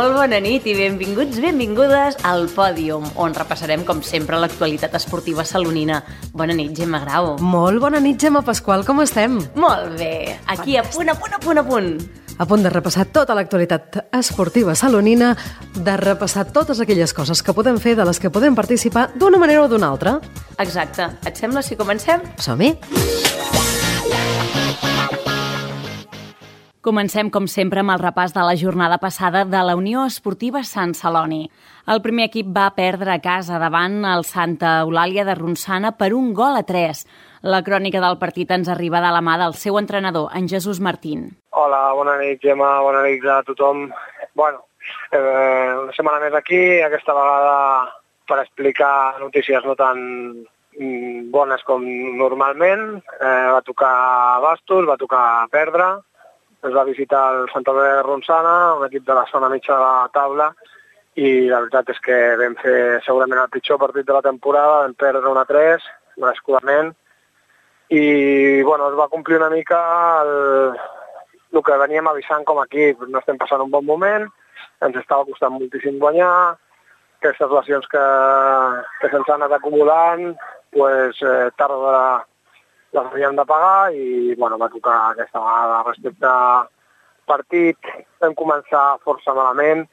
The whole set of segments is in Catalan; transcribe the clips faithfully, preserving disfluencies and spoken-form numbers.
Molt bona nit i benvinguts, benvingudes al Pòdium, on repassarem, com sempre, l'actualitat esportiva salonina. Bona nit, Gemma Grau. Molt bona nit, Gemma Pasqual, com estem? Molt bé, aquí a punt, a punt, a punt, a punt. A punt de repassar tota l'actualitat esportiva salonina, de repassar totes aquelles coses que podem fer, de les que podem participar d'una manera o d'una altra. Exacte. Et sembla si comencem? Som-hi! Comencem, com sempre, amb el repàs de la jornada passada de la Unió Esportiva Sant Celoni. El primer equip va perdre a casa davant el Santa Eulàlia de Ronçana per un gol a tres. La crònica del partit ens arriba de la mà del seu entrenador, en Jesús Martín. Hola, bona nit, Gemma, bona nit a tothom. Bueno, eh, una setmana més aquí, aquesta vegada per explicar notícies no tan bones com normalment. Eh, va tocar bastos, va tocar perdre. Es va visitar el Santa Eulàlia de Ronçana, un equip de la zona mitja de la taula, i la veritat és que vam fer segurament el pitjor partit de la temporada, vam perdre un a tres, merescudament, i bueno, es va complir una mica el, el que veníem avisant com a equip. No estem passant un bon moment, ens estava costant moltíssim guanyar, aquestes lesions que, que se'ns han anat acumulant, pues, eh, tard o d'hora les havíem de pagar i bueno, va tocar aquesta vegada. Respecte al partit, vam començar força malament,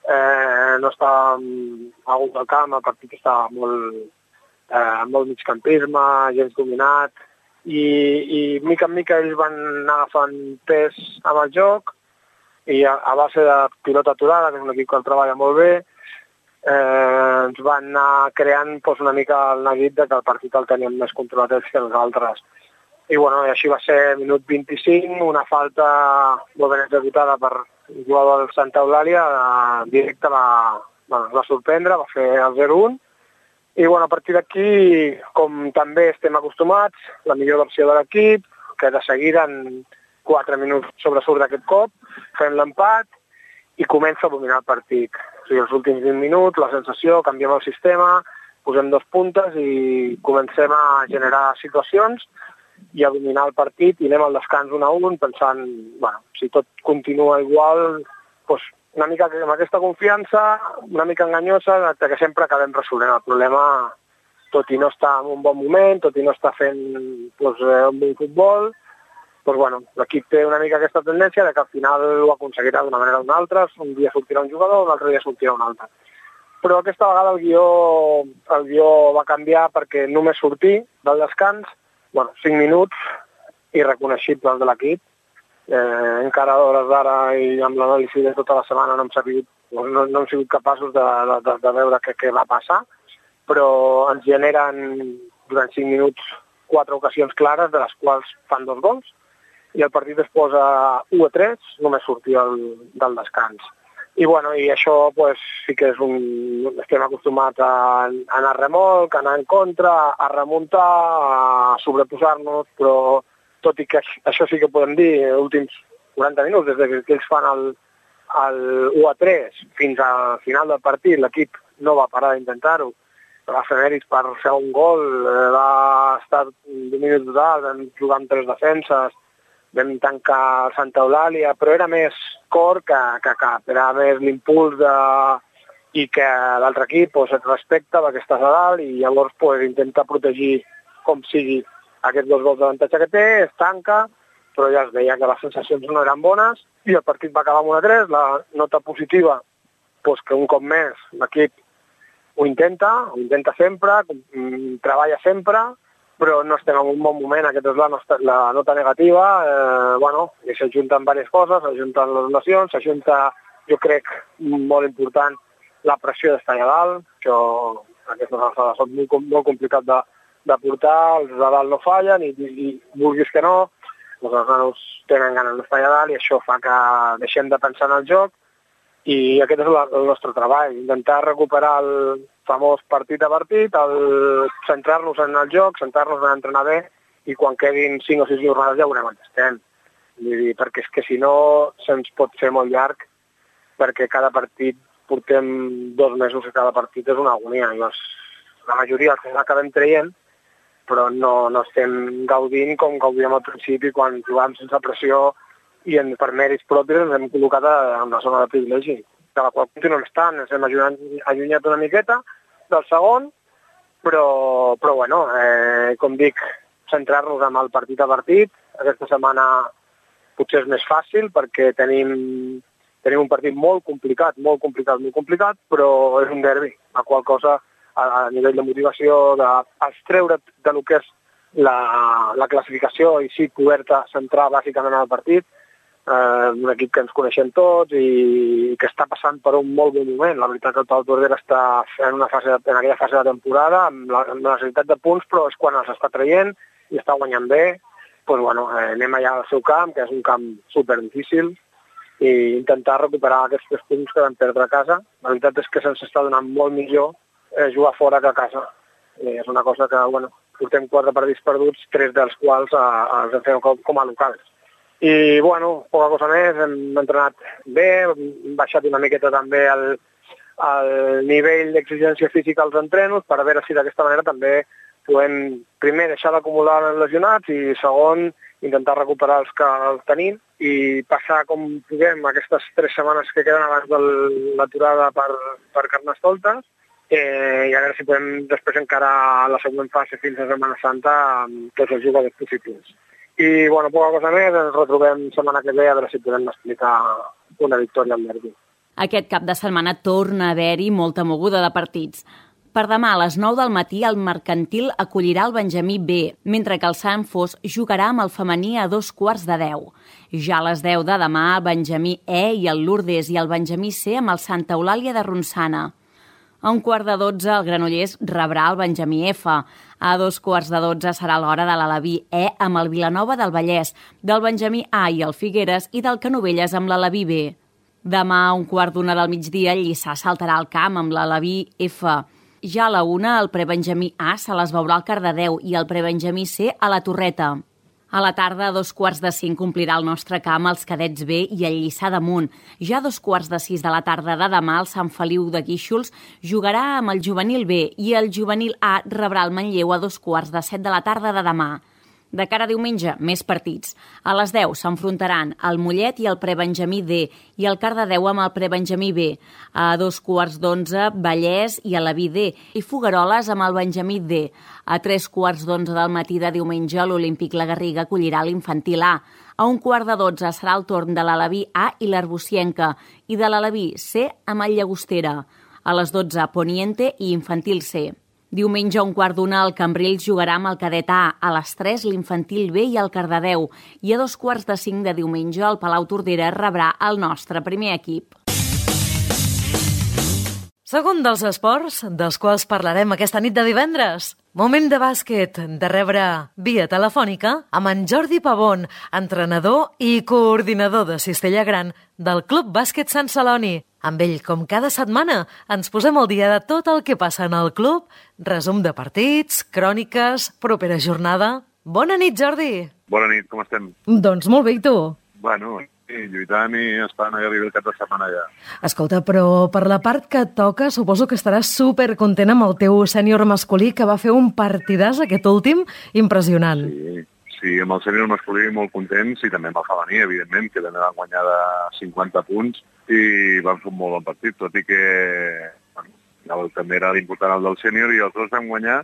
eh, no estàvem a gust del camp, el partit estava molt, eh, molt migcampisme, gens dominat, i, i mica en mica ells van anar agafant pes amb el joc, i a, a base de pilota aturada, que és un equip que el treballa molt bé, eh, ens van anar creant pues, una mica el neguit de que el partit el teníem més controlat ells que els altres. I bueno, i així va ser minut vint-i-cinc, una falta molt ben executada per el jugador del Santa Eulàlia, eh, directe va, bueno, va sorprendre, va fer el zero un. I bueno, a partir d'aquí, com també estem acostumats, la millor versió de l'equip, que de seguida en quatre minuts sobresurt d'aquest cop, fem l'empat i comença a dominar el partit. O sigui, els últims vint minuts, la sensació, canviem el sistema, posem dos puntes i comencem a generar situacions i a dominar el partit i anem al descans un a un pensant, bueno, si tot continua igual, doncs una mica amb aquesta confiança, una mica enganyosa, que sempre acabem resolent el problema, tot i no estar en un bon moment, tot i no estar fent doncs, un bon futbol, doncs bueno, l'equip té una mica aquesta tendència de que al final ho aconseguirà d'una manera o d'una altra, un dia sortirà un jugador, un altre dia sortirà un altre. Però aquesta vegada el guió, el guió va canviar perquè només sortir del descans, bueno, cinc minuts irreconeixibles de l'equip. Eh, encara a hores d'ara i amb l'anàlisi de tota la setmana no hem, sabut, no, no hem sigut capaços de, de, de veure què, què va passar, però ens generen durant cinc minuts quatre ocasions clares, de les quals fan dos gols, i el partit es posa u a tres, només sortir el, del descans. I, bueno, i això pues, sí que és un... estem acostumats a, a anar a remolc, a anar en contra, a remuntar, a sobreposar-nos, però tot i que això sí que podem dir, els últims quaranta minuts, des que ells fan el, el u a tres fins al final del partit, l'equip no va parar d'intentar-ho, va fer mèrits per fer un gol, va estar domini total, vam jugar amb tres defenses, vam tancar el Santa Eulàlia, però era més cor que, que cap, era més l'impuls de... i que l'altre equip pues, et respecta perquè estàs a dalt i llavors pues, intenta protegir com sigui aquests dos gols d'avantatge que té, es tanca, però ja es veia que les sensacions no eren bones i el partit va acabar amb un a tres, la nota positiva pues, que un cop més l'equip ho intenta, ho intenta sempre, treballa sempre, però no estem en un bon moment, aquesta és la, nostra, la nota negativa, eh, bueno, i s'ajunten diverses coses, s'ajunten les lesions, s'ajunta, jo crec, molt important, la pressió d'estar allà dalt, que aquestes alçades són molt, molt complicat de, de portar, els de dalt no fallen, i, i, i vulguis que no, doncs els nanos tenen ganes d'estar allà dalt, i això fa que deixem de pensar en el joc, i aquest és la, el nostre treball, intentar recuperar el famós partit a partit, el centrar-nos en el joc, centrar-nos en entrenar bé, i quan quedin cinc o sis jornades ja veurem on estem. Vull dir, perquè és que si no se'ns pot fer molt llarg, perquè cada partit portem dos mesos i cada partit és una agonia. Llavors, la majoria al final acabem traient, però no, no estem gaudint com gaudíem al principi quan jugàvem sense pressió i en, per mèrits propis ens hem col·locat en la zona de privilegi. de la qual continuem estant, ens hem allunyat una miqueta del segon, però, però bueno, eh, com dic, centrar-nos en el partit a partit. Aquesta setmana potser és més fàcil perquè tenim, tenim un partit molt complicat, molt complicat, molt complicat, però és un derbi, la qual cosa a, a nivell de motivació, d'extreure de lo que és la, la classificació i sí poder-te centrar bàsicament en el partit, eh, un equip que ens coneixem tots i que està passant per un molt bon moment. La veritat que el Pau Tordera està en, una fase, en aquella fase de temporada amb la, amb la necessitat de punts, però és quan els està traient i està guanyant bé. Pues, bueno, eh, anem allà al seu camp, que és un camp super difícil, i intentar recuperar aquests tres punts que vam perdre a casa. La veritat és que se'ns està donant molt millor eh, jugar fora que a casa. I és una cosa que, bueno, portem quatre partits perduts, tres dels quals eh, els hem fet com, com a locals. I, bueno, poca cosa més, hem entrenat bé, hem baixat una miqueta també el, el nivell d'exigència física als entrenos per veure si d'aquesta manera també podem, primer, deixar d'acumular els lesionats i, segon, intentar recuperar els que els tenim i passar com puguem aquestes tres setmanes que queden abans de l'aturada per, per Carnestoltes eh, i a veure si podem després encarar la següent fase fins a Setmana Santa amb tots els jugadors possibles. I, bueno, poca cosa més, ens retrobem setmana que ve a veure si podem explicar una victòria al derbi. Aquest cap de setmana torna a haver-hi molta moguda de partits. Per demà a les nou del matí el Mercantil acollirà el Benjamí B, mentre que el Sant Fos jugarà amb el femení a dos quarts de deu. Ja a les deu de demà el Benjamí E i el Lourdes i el Benjamí C amb el Santa Eulàlia de Ronçana. A un quart de dotze el Granollers rebrà el Benjamí F. A dos quarts de dotze serà l'hora de l'Alaví E amb el Vilanova del Vallès, del Benjamí A i el Figueres i del Canovelles amb l'Alaví B. Demà a un quart d'una del migdia el Lliçà saltarà al camp amb l'Alaví F. Ja a la una, el prebenjamí A se les veurà al Cardedeu i el prebenjamí C a la Torreta. A la tarda, a dos quarts de cinc, omplirà el nostre camp els cadets B i el Lliçà d'Amunt. Ja a dos quarts de sis de la tarda de demà, el Sant Feliu de Guíxols jugarà amb el juvenil B i el juvenil A rebrà el Manlleu a dos quarts de set de la tarda de demà. De cara a diumenge, més partits. A les deu s'enfrontaran el Mollet i el prebenjamí D i el Cardedeu amb el prebenjamí B. A dos quarts d'onze, Vallès i Alaví D i Fogueroles amb el Benjamí D. A tres quarts d'onze del matí de diumenge, l'Olímpic La Garriga acollirà l'infantil A. A un quart de dotze serà el torn de l'Alaví A i l'Arbocienca i de l'Alaví C amb el Llagostera. A les dotze, Poniente i infantil C. Diumenge a un quart d'una el Cambrils jugarà amb el cadet A, a les tres l'infantil B i el Cardedeu i a dos quarts de cinc de diumenge el Palau Tordera rebrà el nostre primer equip. Segon dels esports, dels quals parlarem aquesta nit de divendres. Moment de bàsquet, de rebre via telefònica amb en Jordi Pavón, entrenador i coordinador de Cistella Gran del Club Bàsquet Sant Celoni. Amb ell, com cada setmana, ens posem al dia de tot el que passa en el club, resum de partits, cròniques, propera jornada... Bona nit, Jordi! Bona nit, com estem? Doncs molt bé, i tu? Bueno, sí, lluitant i esperant a arribar el cap de setmana ja. Escolta, però per la part que et toca, suposo que estaràs supercontent amb el teu sènior masculí, que va fer un partidàs aquest últim impressionant. Sí, sí, amb el sènior masculí molt contents i també amb el femení, evidentment, que també van guanyar de cinquanta punts i van fer un molt bon partit, tot i que bueno, el, també era l'important el del sènior i els dos vam guanyar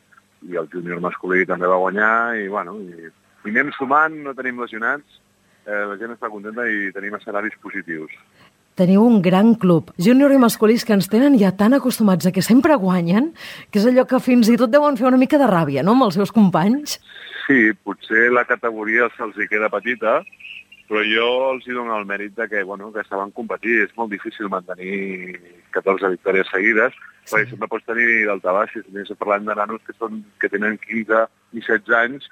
i el júnior masculí també va guanyar i, bueno, i, i anem sumant, no tenim lesionats, eh, la gent està contenta i tenim escenaris positius. Teniu un gran club, júnior i masculís, que ens tenen ja tan acostumats a que sempre guanyen, que és allò que fins i tot deuen fer una mica de ràbia, no?, amb els seus companys. Sí, potser la categoria se'ls hi queda petita, però jo els hi dono el mèrit de que, bueno, que saben competir. És molt difícil mantenir catorze victòries seguides, sí. Perquè sempre pots tenir daltabaix. Si estem parlant de nanos que, són, que tenen quinze i setze anys,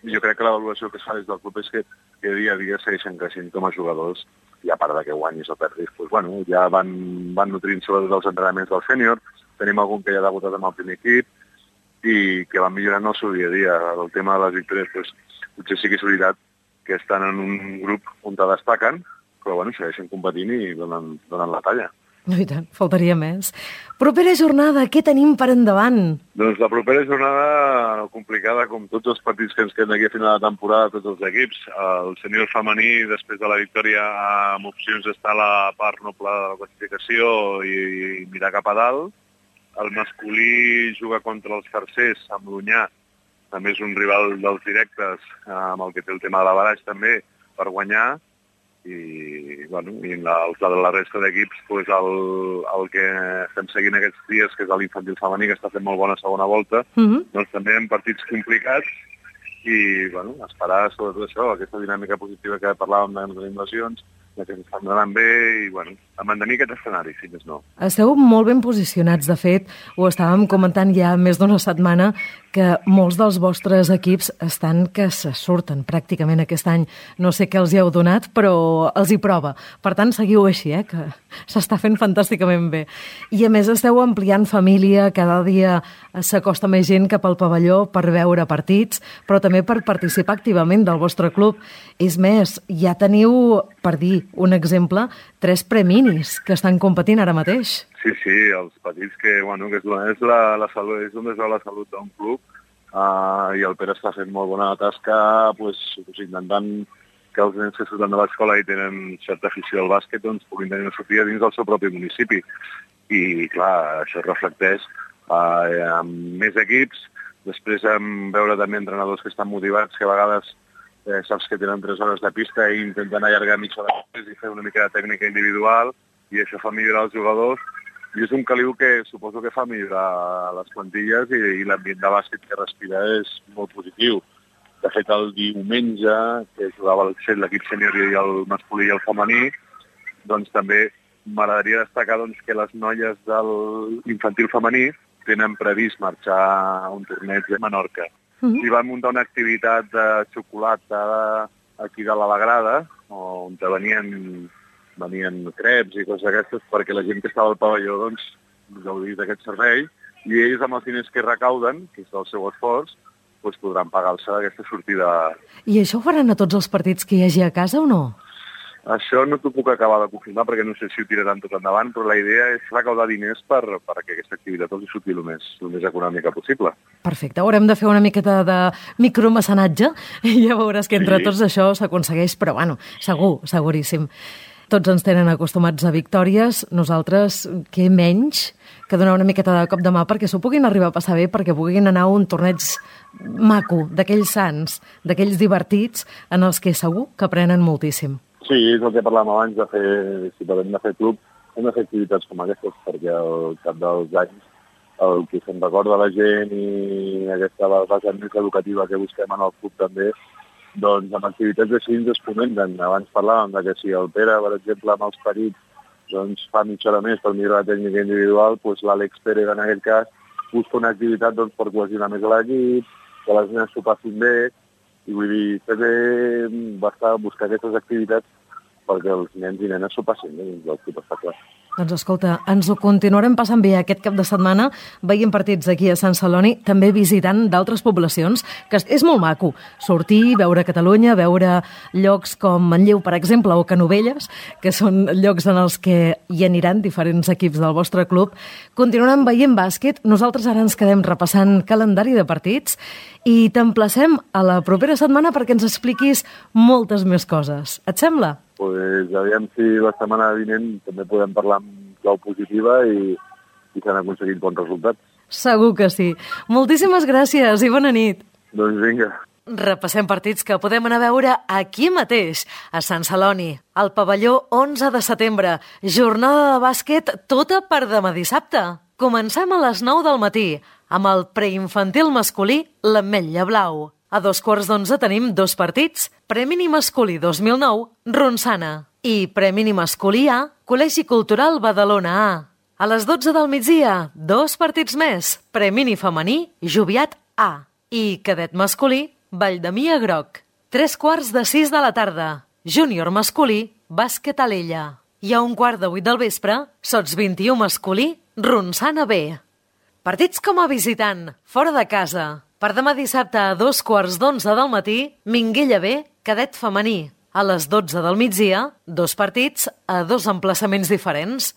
i jo crec que l'avaluació que es fa des del club és que, que dia a dia segueixen creixent com a jugadors, i a part de que guanyis o perdis, doncs, bueno, ja van, van nutrint sobretot els entrenaments del sènior. Tenim algun que ja ha debutat amb el primer equip i que van millorant el seu dia a dia. El tema de les victòries, doncs, potser sí que és veritat que estan en un grup on destaquen, però bueno, segueixen competint i donen, donen la talla. No, i tant, faltaria més. Propera jornada, què tenim per endavant? Doncs la propera jornada complicada, com tots els partits que ens queden aquí a final de temporada, tots els equips. El sènior femení, després de la victòria, amb opcions d'estar a la part noble de la classificació i, i mirar cap a dalt. El masculí juga contra els tercers, amb l'Onyar. També és un rival dels directes, amb el que té el tema de la baraix també, per guanyar. I, bueno, i la, la resta d'equips, pues el, el que estem seguint aquests dies, que és l'infantil femení, que està fent molt bona segona volta, uh-huh. doncs també en partits complicats i bueno, esperar sobretot això, aquesta dinàmica positiva que parlàvem de les invasions, que ens estan anant bé i bueno, a mantenir aquest escenari, si més no. Esteu molt ben posicionats, de fet, ho estàvem comentant ja més d'una setmana, que molts dels vostres equips estan que se surten pràcticament aquest any. No sé què els hi heu donat, però els hi prova. Per tant, seguiu així, eh, que s'està fent fantàsticament bé. I a més esteu ampliant família, cada dia s'acosta més gent cap al pavelló per veure partits, però també per participar activament del vostre club. És més, ja teniu, per dir un exemple, tres preminis que estan competint ara mateix. Sí, sí, els petits que, bueno, que és, és, la, la salut, és on es veu la salut d'un club uh, i el Pere està fent molt bona tasca pues, pues, intentant que els nens que surten de l'escola i tenen certa afició al bàsquet doncs, puguin tenir una sortida dins del seu propi municipi. I, clar, això es reflecteix uh, amb més equips, després en veure també entrenadors que estan motivats, que a vegades eh, saps que tenen tres hores de pista i intenten allargar mitja hora i fer una mica de tècnica individual i això fa millorar els jugadors. I és un caliu que suposo que fa millorar les plantilles i, i l'ambient de bàsquet que respira és molt positiu. De fet, el diumenge, que jugava l'equip sènior i el masculí i el femení, doncs també m'agradaria destacar doncs, que les noies de l'infantil femení tenen previst marxar a un torneig a Menorca. Mm-hmm. I van muntar una activitat de xocolata aquí de la Grada, on venien... venien creps i coses d'aquestes perquè la gent que estava al pavelló doncs, gaudís d'aquest servei i ells amb els diners que recauden, que és el seu esforç, doncs podran pagar-se aquesta sortida. I això ho faran a tots els partits que hi hagi a casa o no? Això no t'ho puc acabar de confirmar perquè no sé si ho tiraran tot endavant, però la idea és recaudar diners per, perquè aquesta activitat els surti el més, el més econòmica possible. Perfecte, haurem de fer una miqueta de micromecenatge i ja veuràs que entre sí. Tots això s'aconsegueix, però bueno, segur, seguríssim. Tots ens tenen acostumats a victòries, nosaltres, què menys que donar una miqueta de cop de mà perquè s'ho puguin arribar a passar bé, perquè puguin anar a un torneig maco, d'aquells sants, d'aquells divertits, en els que segur que aprenen moltíssim. Sí, és el que parlàvem abans de fer, si parlem de fer club, hem de fer activitats com aquestes, perquè al cap dels anys el que se'n recorda la gent i aquesta vessant més educativa que busquem en el club també, doncs amb activitats així ens es comenten. Abans parlàvem de que si el Pere, per exemple, amb els perits, doncs fa mitja hora més per millorar la tècnica individual, doncs l'Àlex Pérez, en aquest cas, busca una activitat doncs, per cohesionar més l'equip, que les nenes s'ho passin bé, i vull dir, també basta buscar aquestes activitats perquè els nens i nenes s'ho passin bé, doncs el club està clar. Doncs escolta, ens ho continuarem passant bé aquest cap de setmana, veient partits aquí a Sant Celoni, també visitant d'altres poblacions, que és molt maco. Sortir, veure Catalunya, veure llocs com Manlleu, per exemple, o Canovelles, que són llocs en els que hi aniran diferents equips del vostre club. Continuarem veient bàsquet, nosaltres ara ens quedem repassant calendari de partits i t'emplacem a la propera setmana perquè ens expliquis moltes més coses. Et sembla? Pues aviam si la setmana vinent també podem parlar amb clau positiva i, i s'han aconseguit bons resultats. Segur que sí. Moltíssimes gràcies i bona nit. Doncs vinga. Repassem partits que podem anar a veure aquí mateix, a Sant Celoni, al pavelló onze de setembre. Jornada de bàsquet tota per demà dissabte. Comencem a les nou del matí, amb el preinfantil masculí l'Ametlla Blau. A dos quarts d'onze tenim dos partits, Premini Masculí dos mil nou, Ronçana, i Premini Masculí A, Col·legi Cultural Badalona A. A les dotze del migdia, dos partits més, Premini Femení, Joviat A, i Cadet Masculí, Valldemia Groc. Tres quarts de sis de la tarda, Júnior Masculí, Bàsquet Alella. I a un quart de vuit del vespre, Sots vint i u Masculí, Ronçana B. Partits com a visitant, fora de casa. Per demà dissabte a dos quarts d'onze del matí, Minguella B, Cadet Femení. A les dotze del migdia, dos partits a dos emplaçaments diferents.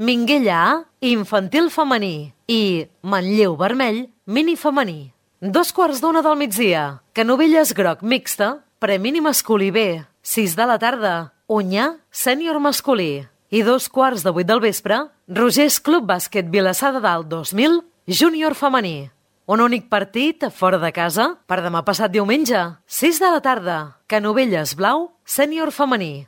Minguella A, infantil femení, i Manlleu Vermell, mini femení. Dos quarts d'una del migdia, Canovelles groc mixta, premini masculí B, sis de la tarda, Unyà, sènior masculí. I dos quarts de vuit del vespre, Rogers Club Bàsquet Vilassar de Dalt dos mil, júnior femení. Un únic partit fora de casa per demà passat diumenge, sis de la tarda, Canovelles Blau, sènior femení.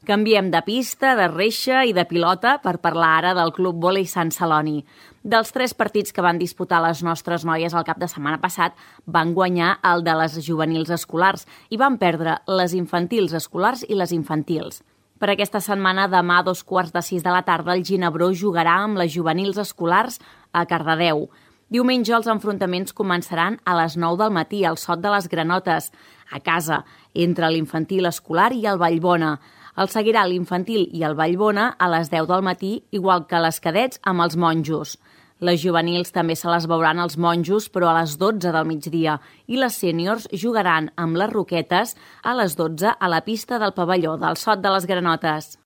Canviem de pista, de reixa i de pilota per parlar ara del Club Vòlei Sant Celoni. Dels tres partits que van disputar les nostres noies el cap de setmana passat, van guanyar el de les juvenils escolars i van perdre les infantils escolars i les infantils. Per aquesta setmana, demà a dos quarts de sis de la tarda, el Ginebró jugarà amb les juvenils escolars a Cardedeu. Diumenge els enfrontaments començaran a les nou del matí al Sot de les Granotes, a casa, entre l'infantil escolar i el Vallbona. El seguirà l'infantil i el Vallbona a les deu del matí, igual que les cadets amb els monjos. Les juvenils també se les veuran els monjos, però a les dotze del migdia, i les sèniors jugaran amb les Roquetes a les dotze a la pista del pavelló del Sot de les Granotes.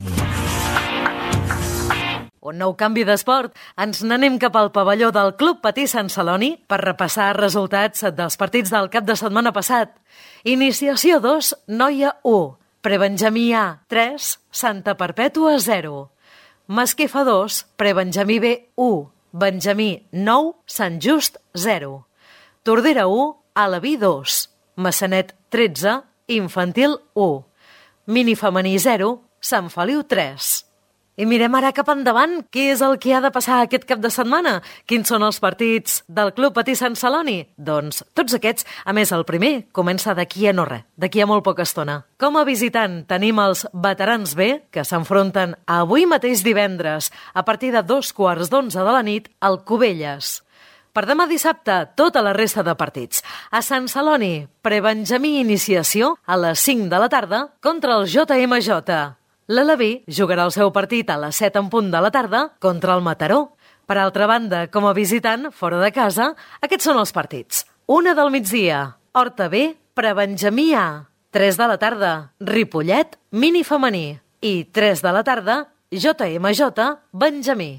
Un nou canvi d'esport. Ens n'anem cap al pavelló del Club Patí Sant Celoni per repassar resultats dels partits del cap de setmana passat. Iniciació dos, Noia u. Prebenjamí A, tres, Santa Perpètua, zero. Masquefa dos, Prebenjamí B, u. Benjamí, nou, Sant Just, zero. Tordera u, Alaví, dos. Massanet, tretze, Infantil, u. Minifemení, zero, Sant Feliu, tres. I mirem ara cap endavant. Què és el que ha de passar aquest cap de setmana? Quins són els partits del Club Patí Sant Celoni? Doncs tots aquests, a més el primer, comença d'aquí a no res, d'aquí a molt poca estona. Com a visitant tenim els veterans B, que s'enfronten avui mateix divendres, a partir de dos quarts d'onze de la nit, al Cubelles. Per demà dissabte, tota la resta de partits. A Sant Celoni, Prebenjamí Iniciació, a les cinc de la tarda, contra el J M J. L'Alaví jugarà el seu partit a les set en punt de la tarda contra el Mataró. Per altra banda, com a visitant, fora de casa, aquests són els partits. Una del migdia, Horta B, Prebenjamí A. Tres de la tarda, Ripollet, mini femení. I tres de la tarda, J M J, Benjamí.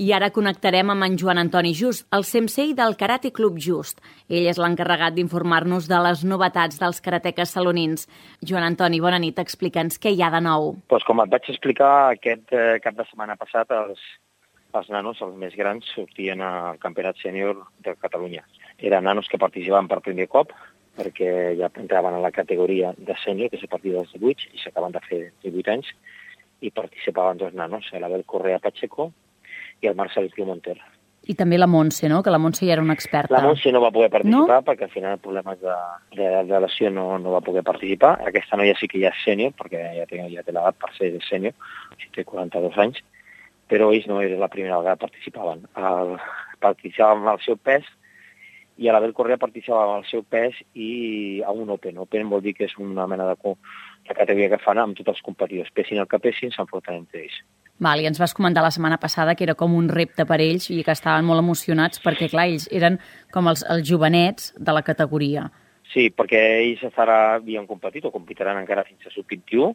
I ara connectarem amb en Joan Antoni Just, el sensei del Karate Club Just. Ell és l'encarregat d'informar-nos de les novetats dels karateques salonins. Joan Antoni, bona nit, explica'ns què hi ha de nou. Pues com et vaig explicar, aquest eh, cap de setmana passat, els, els nanos, els més grans, sortien al Campionat Sènior de Catalunya. Eren nanos que participaven per primer cop, perquè ja entraven a la categoria de sènior, que és a partir dels divuit, i s'acaben de fer divuit anys, i participaven dos nanos, l'Abel Correa Pacheco i el Marcel Monter. I també la Montse, no? Que la Montse ja era una experta. La Montse no va poder participar, no? Perquè al final problemes de, de, de lesió no, no va poder participar. Aquesta noia sí que ja és sènior, perquè ja té, ja té l'edat per ser sènior, o sigui, té quaranta-dos anys, però ells no era la primera vegada que participaven. El, participaven amb el seu pes, i a l'Abel Correa participava amb el seu pes i a un Open. Open vol dir que és una mena de, de categoria que fan amb tots els competidors. Pessin el que pessin, s'enfronten entre ells. Val, i ens vas comentar la setmana passada que era com un repte per ells i que estaven molt emocionats perquè, clar, ells eren com els, els jovenets de la categoria. Sí, perquè ells ara havien competit o competiran encara fins a sub vint-i-u,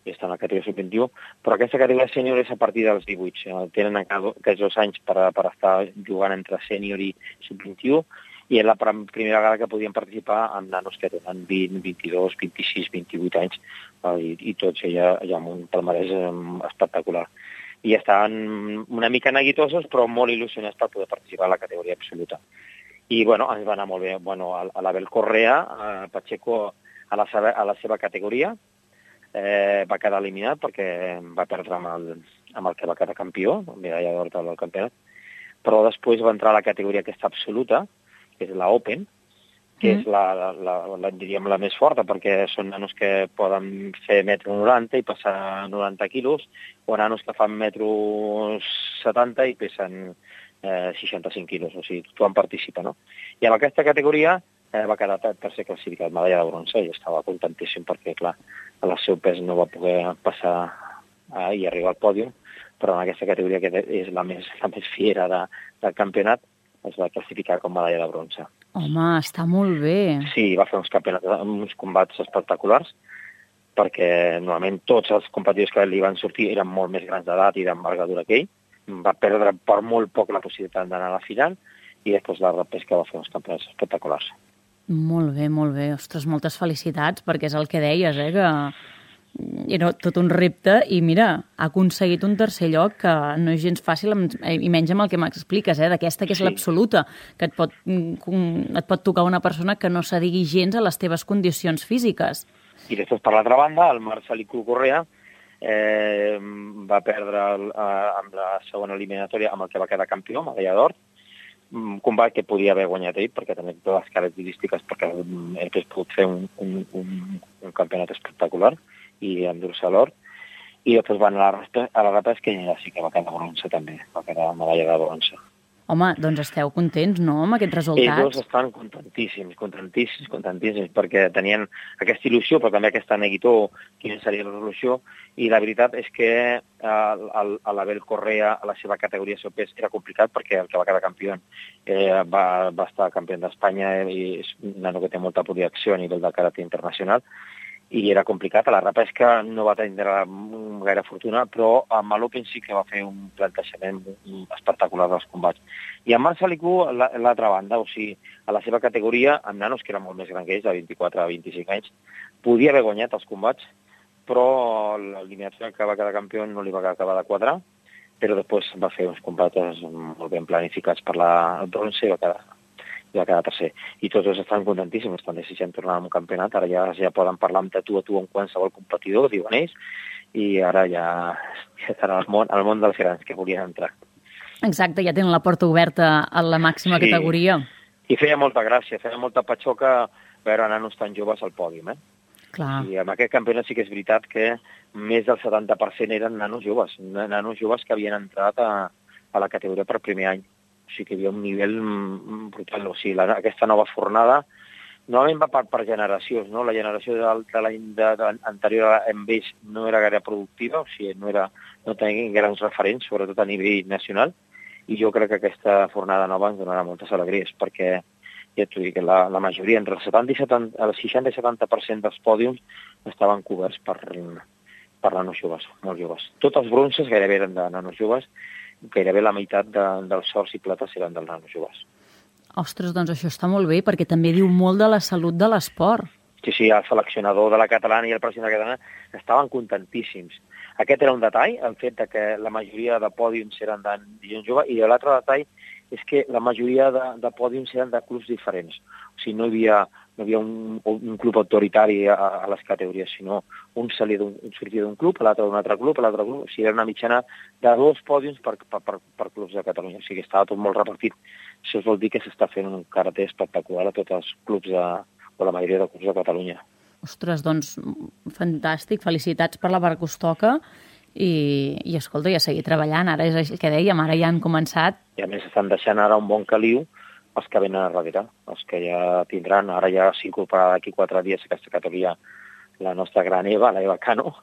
i estan a la categoria sub vint-i-u, però aquesta categoria sènior és a partir dels divuit. Tenen encara aquests dos anys per, per estar jugant entre sènior i sub vint-i-u, i és la primera vegada que podien participar amb nanos que tenen vint, vint-i-dos, vint-i-sis, vint-i-vuit anys, i, i tots ja, ja amb un palmarès espectacular. I estaven una mica neguitosos, però molt il·lusionats per poder participar a la categoria absoluta. I, bueno, ens va anar molt bé. Bueno, a l'Abel Correa, a Pacheco, a la seva, a la seva categoria, eh, va quedar eliminat perquè va perdre amb el, amb el que va quedar campió, medalla d'or del campionat, però després va entrar a la categoria aquesta absoluta, que és la Open, que mm. és la, la, la, la, diríem, la més forta, perquè són nanos que poden fer metro noranta i passar noranta quilos, o nanos que fan metro setanta i pesen eh, seixanta-cinc quilos, o sigui, tothom participa, no? I en aquesta categoria eh, va quedar tercer classificat, medalla de bronze, i estava contentíssim perquè, clar, el seu pes no va poder passar eh, i arribar al pòdium, però en aquesta categoria, que és la més, la més fiera de, del campionat, es va classificar com medalla de bronze. Home, està molt bé. Sí, va fer uns campionats, uns combats espectaculars. perquè normalment tots els competidors que li van sortir eren molt més grans d'edat i d'envergadura que ell. Va perdre per molt poc la possibilitat d'anar a la final i després la repesca va fer uns campionats espectaculars. Molt bé, molt bé. Ostres, moltes felicitats, perquè és el que deies, eh, que era tot un repte i mira, ha aconseguit un tercer lloc que no és gens fàcil, i menys amb el que m'expliques, eh, d'aquesta que és sí. l'absoluta, que et pot, et pot tocar una persona que no s'adigui gens a les teves condicions físiques. I després, per l'altra banda, el Marcelico Correa eh, va perdre el, eh, amb la segona eliminatòria amb el que va quedar campió, medalla d'or, un combat que podia haver guanyat ell, perquè tenia totes les característiques, perquè ell hauria pogut fer un, un, un, un campionat espectacular i endur-se l'or, i després van a la, a la repesca i sí que va quedar bronze també, va quedar medalla de bronze. Home, doncs esteu contents, no?, amb aquests resultats? Ells dos estan contentíssims, contentíssims, contentíssims, perquè tenien aquesta il·lusió, però també aquesta neguitó, quina seria la resolució, i la veritat és que a l'Abel Correa, a la seva categoria de pes, era complicat, perquè el que va quedar campió eh, va, va estar campió d'Espanya i és un nano que té molta projecció a nivell de karate internacional, i era complicat. A la repesca no va tenir gaire fortuna, però amb l'Open sí que va fer un plantejament espectacular dels combats. I en Marcelico, a l'altra banda, o sigui, a la seva categoria, amb nanos que eren molt més grans que ells, de vint-i-quatre a vint-i-cinc anys, podia haver guanyat els combats, però l'eliminació que va quedar campió no li va acabar de quadrar, però després va fer uns combats molt ben planificats per la bronze i va quedar i va quedar tercer. I tots dos estan contentíssims, estan desitjant tornar a un campionat, ara ja, ja poden parlar amb tu a tu amb qualsevol competidor, diuen ells, i ara ja, ja estan al món, al món dels grans que volien entrar. Exacte, ja tenen la porta oberta a la màxima sí. categoria. I feia molta gràcia, feia molta patxoca veure nanos tan joves al pòdium, eh? Clar. I en aquest campionat sí que és veritat que més del setanta per cent eren nanos joves, nanos joves que havien entrat a, a la categoria per primer any. O sigui que hi havia un nivell brutal. O sigui, la, aquesta nova fornada normalment va per, per generacions, no? La generació de, de l'any de, de, anterior amb ells no era gaire productiva, o sigui, no, era, no tenia grans referents, sobretot a nivell nacional, i jo crec que aquesta fornada nova ens donarà moltes alegries, perquè ja t'ho dic, la, la majoria, entre el, setanta i setanta, el seixanta i setanta per cent dels pòdiums estaven coberts per, per nanos joves, molt joves. Tots els bronzes gairebé eren de nanos joves, gairebé la meitat de, dels ors i plates eren dels nanos joves. Ostres, doncs això està molt bé, perquè també diu molt de la salut de l'esport. Sí, sí, el seleccionador de la catalana i el president de la catalana estaven contentíssims. Aquest era un detall, el fet de que la majoria de pòdiums eren de gent jove, i l'altre detall és que la majoria de, de pòdiums eren de clubs diferents. O sigui, no hi havia, no hi havia un, un club autoritari a, a les categories, sinó un sortia d'un club, l'altre d'un altre club, l'altre club. O sigui, era una mitjana de dos pòdiums per, per, per, per clubs de Catalunya. O sigui, estava tot molt repartit. Això vol dir que s'està fent un karate espectacular a tots els clubs de, o la majoria de clubs de Catalunya. Ostres, doncs, fantàstic. Felicitats per la part que us toca. I, i escolta, ja seguir treballant. Ara és el que dèiem, ara ja han començat. I a més estan deixant ara un bon caliu els que venen a darrere, els que ja tindran. Ara ja s'incorporarà d'aquí quatre dies a aquesta categoria la nostra gran Eva, la Eva Cano,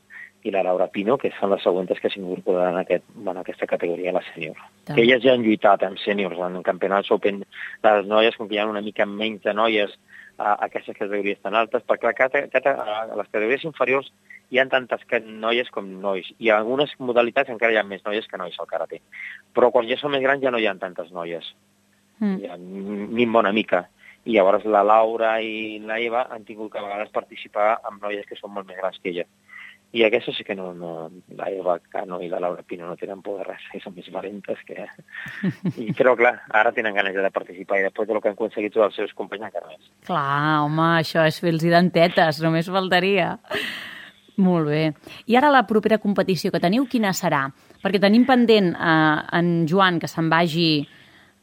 i la Laura Pino, que són les següents que s'incorporaran en, aquest, en aquesta categoria, la sènior. Que elles ja han lluitat en sèniors, en campionats open. Les noies, com que hi ha una mica menys de noies a, a aquestes categories tan altes, perquè a, a, a les categories inferiors hi ha tantes noies com nois. I en algunes modalitats encara hi ha més noies que nois al karate. Però quan ja són més grans ja no hi ha tantes noies. Mm. Hi ha ni bona mica. I llavors la Laura i la Eva han tingut que a vegades participar amb noies que són molt més grans que ella. I aquestes sí que no, no, la Eva Cano i la Laura Pino no tenen por de res, són més valentes que... I, però clar, ara tenen ganes de participar i després del que han aconseguit tots els seus companys encara més. Clar, home, això és fer-los dentetes, només faltaria. Molt bé. I ara la propera competició que teniu, quina serà? Perquè tenim pendent eh, en Joan que se'n vagi...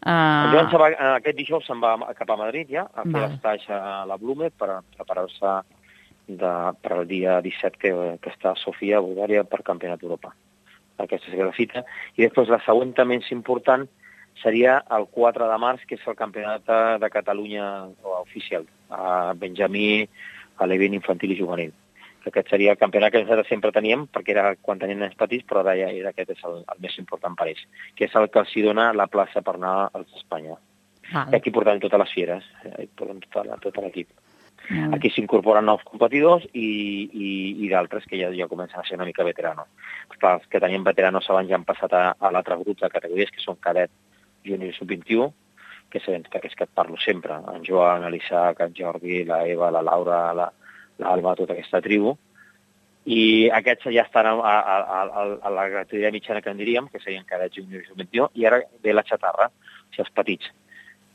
Eh... En Joan se va, aquest dijous se'n va cap a Madrid ja, a fer l'estatge a la Blume per preparar-se de, per al dia disset que, que està a Sofia, a Bulgària, per Campionat d'Europa. Aquesta seria la cita. I després la següent més important seria el quatre de març, que és el Campionat de Catalunya oficial, a Benjamí, a l'event infantil i juvenil. Aquest seria el campionat que nosaltres sempre teníem, perquè era quan tenien nens petits, però ara ja aquest és el, el més important per ells, que és el que els dona la plaça per anar als d'Espanya. Ah. I aquí portem totes les fieres, hi portem tot, tot l'equip. Mm. Aquí s'incorporen nous competidors i, i, i d'altres que ja, ja comencen a ser una mica veteranos. Clar, els que tenien veteranos abans ja han passat a, a l'altre grup de categories, que són cadet, júnior i sub vint-i-u, que sabem que és que et parlo sempre, en Joan, l'Isaac, en Jordi, la Eva, la Laura, la, l'Alba, tota aquesta tribu, i aquests ja estan a, a, a, a la categoria mitjana que en diríem, que serien cadets, júnior i sub vint-i-u, i ara ve la xatarra, o sigui, els petits,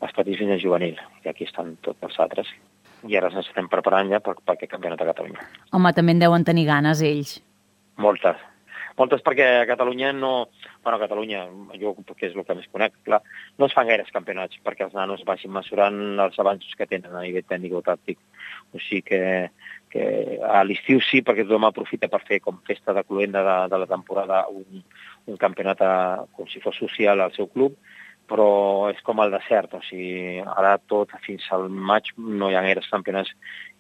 els petits fins a juvenil, i aquí estan tots els altres. I ara ens estem preparant ja per, per aquest campionat de Catalunya. Home, també en deuen tenir ganes, ells. Moltes. Moltes perquè a Catalunya no... Bueno, a Catalunya, jo que és el que més conec, clar, no es fan gaires campionats perquè els nanos vagin mesurant els avanços que tenen a nivell tècnic o tàctic. O sigui que, que a l'estiu sí, perquè tothom aprofita per fer com festa de cloenda de, de la temporada un, un campionat a, com si fos social al seu club, però és com el desert, o sigui, ara tot fins al maig no hi ha gaires campionats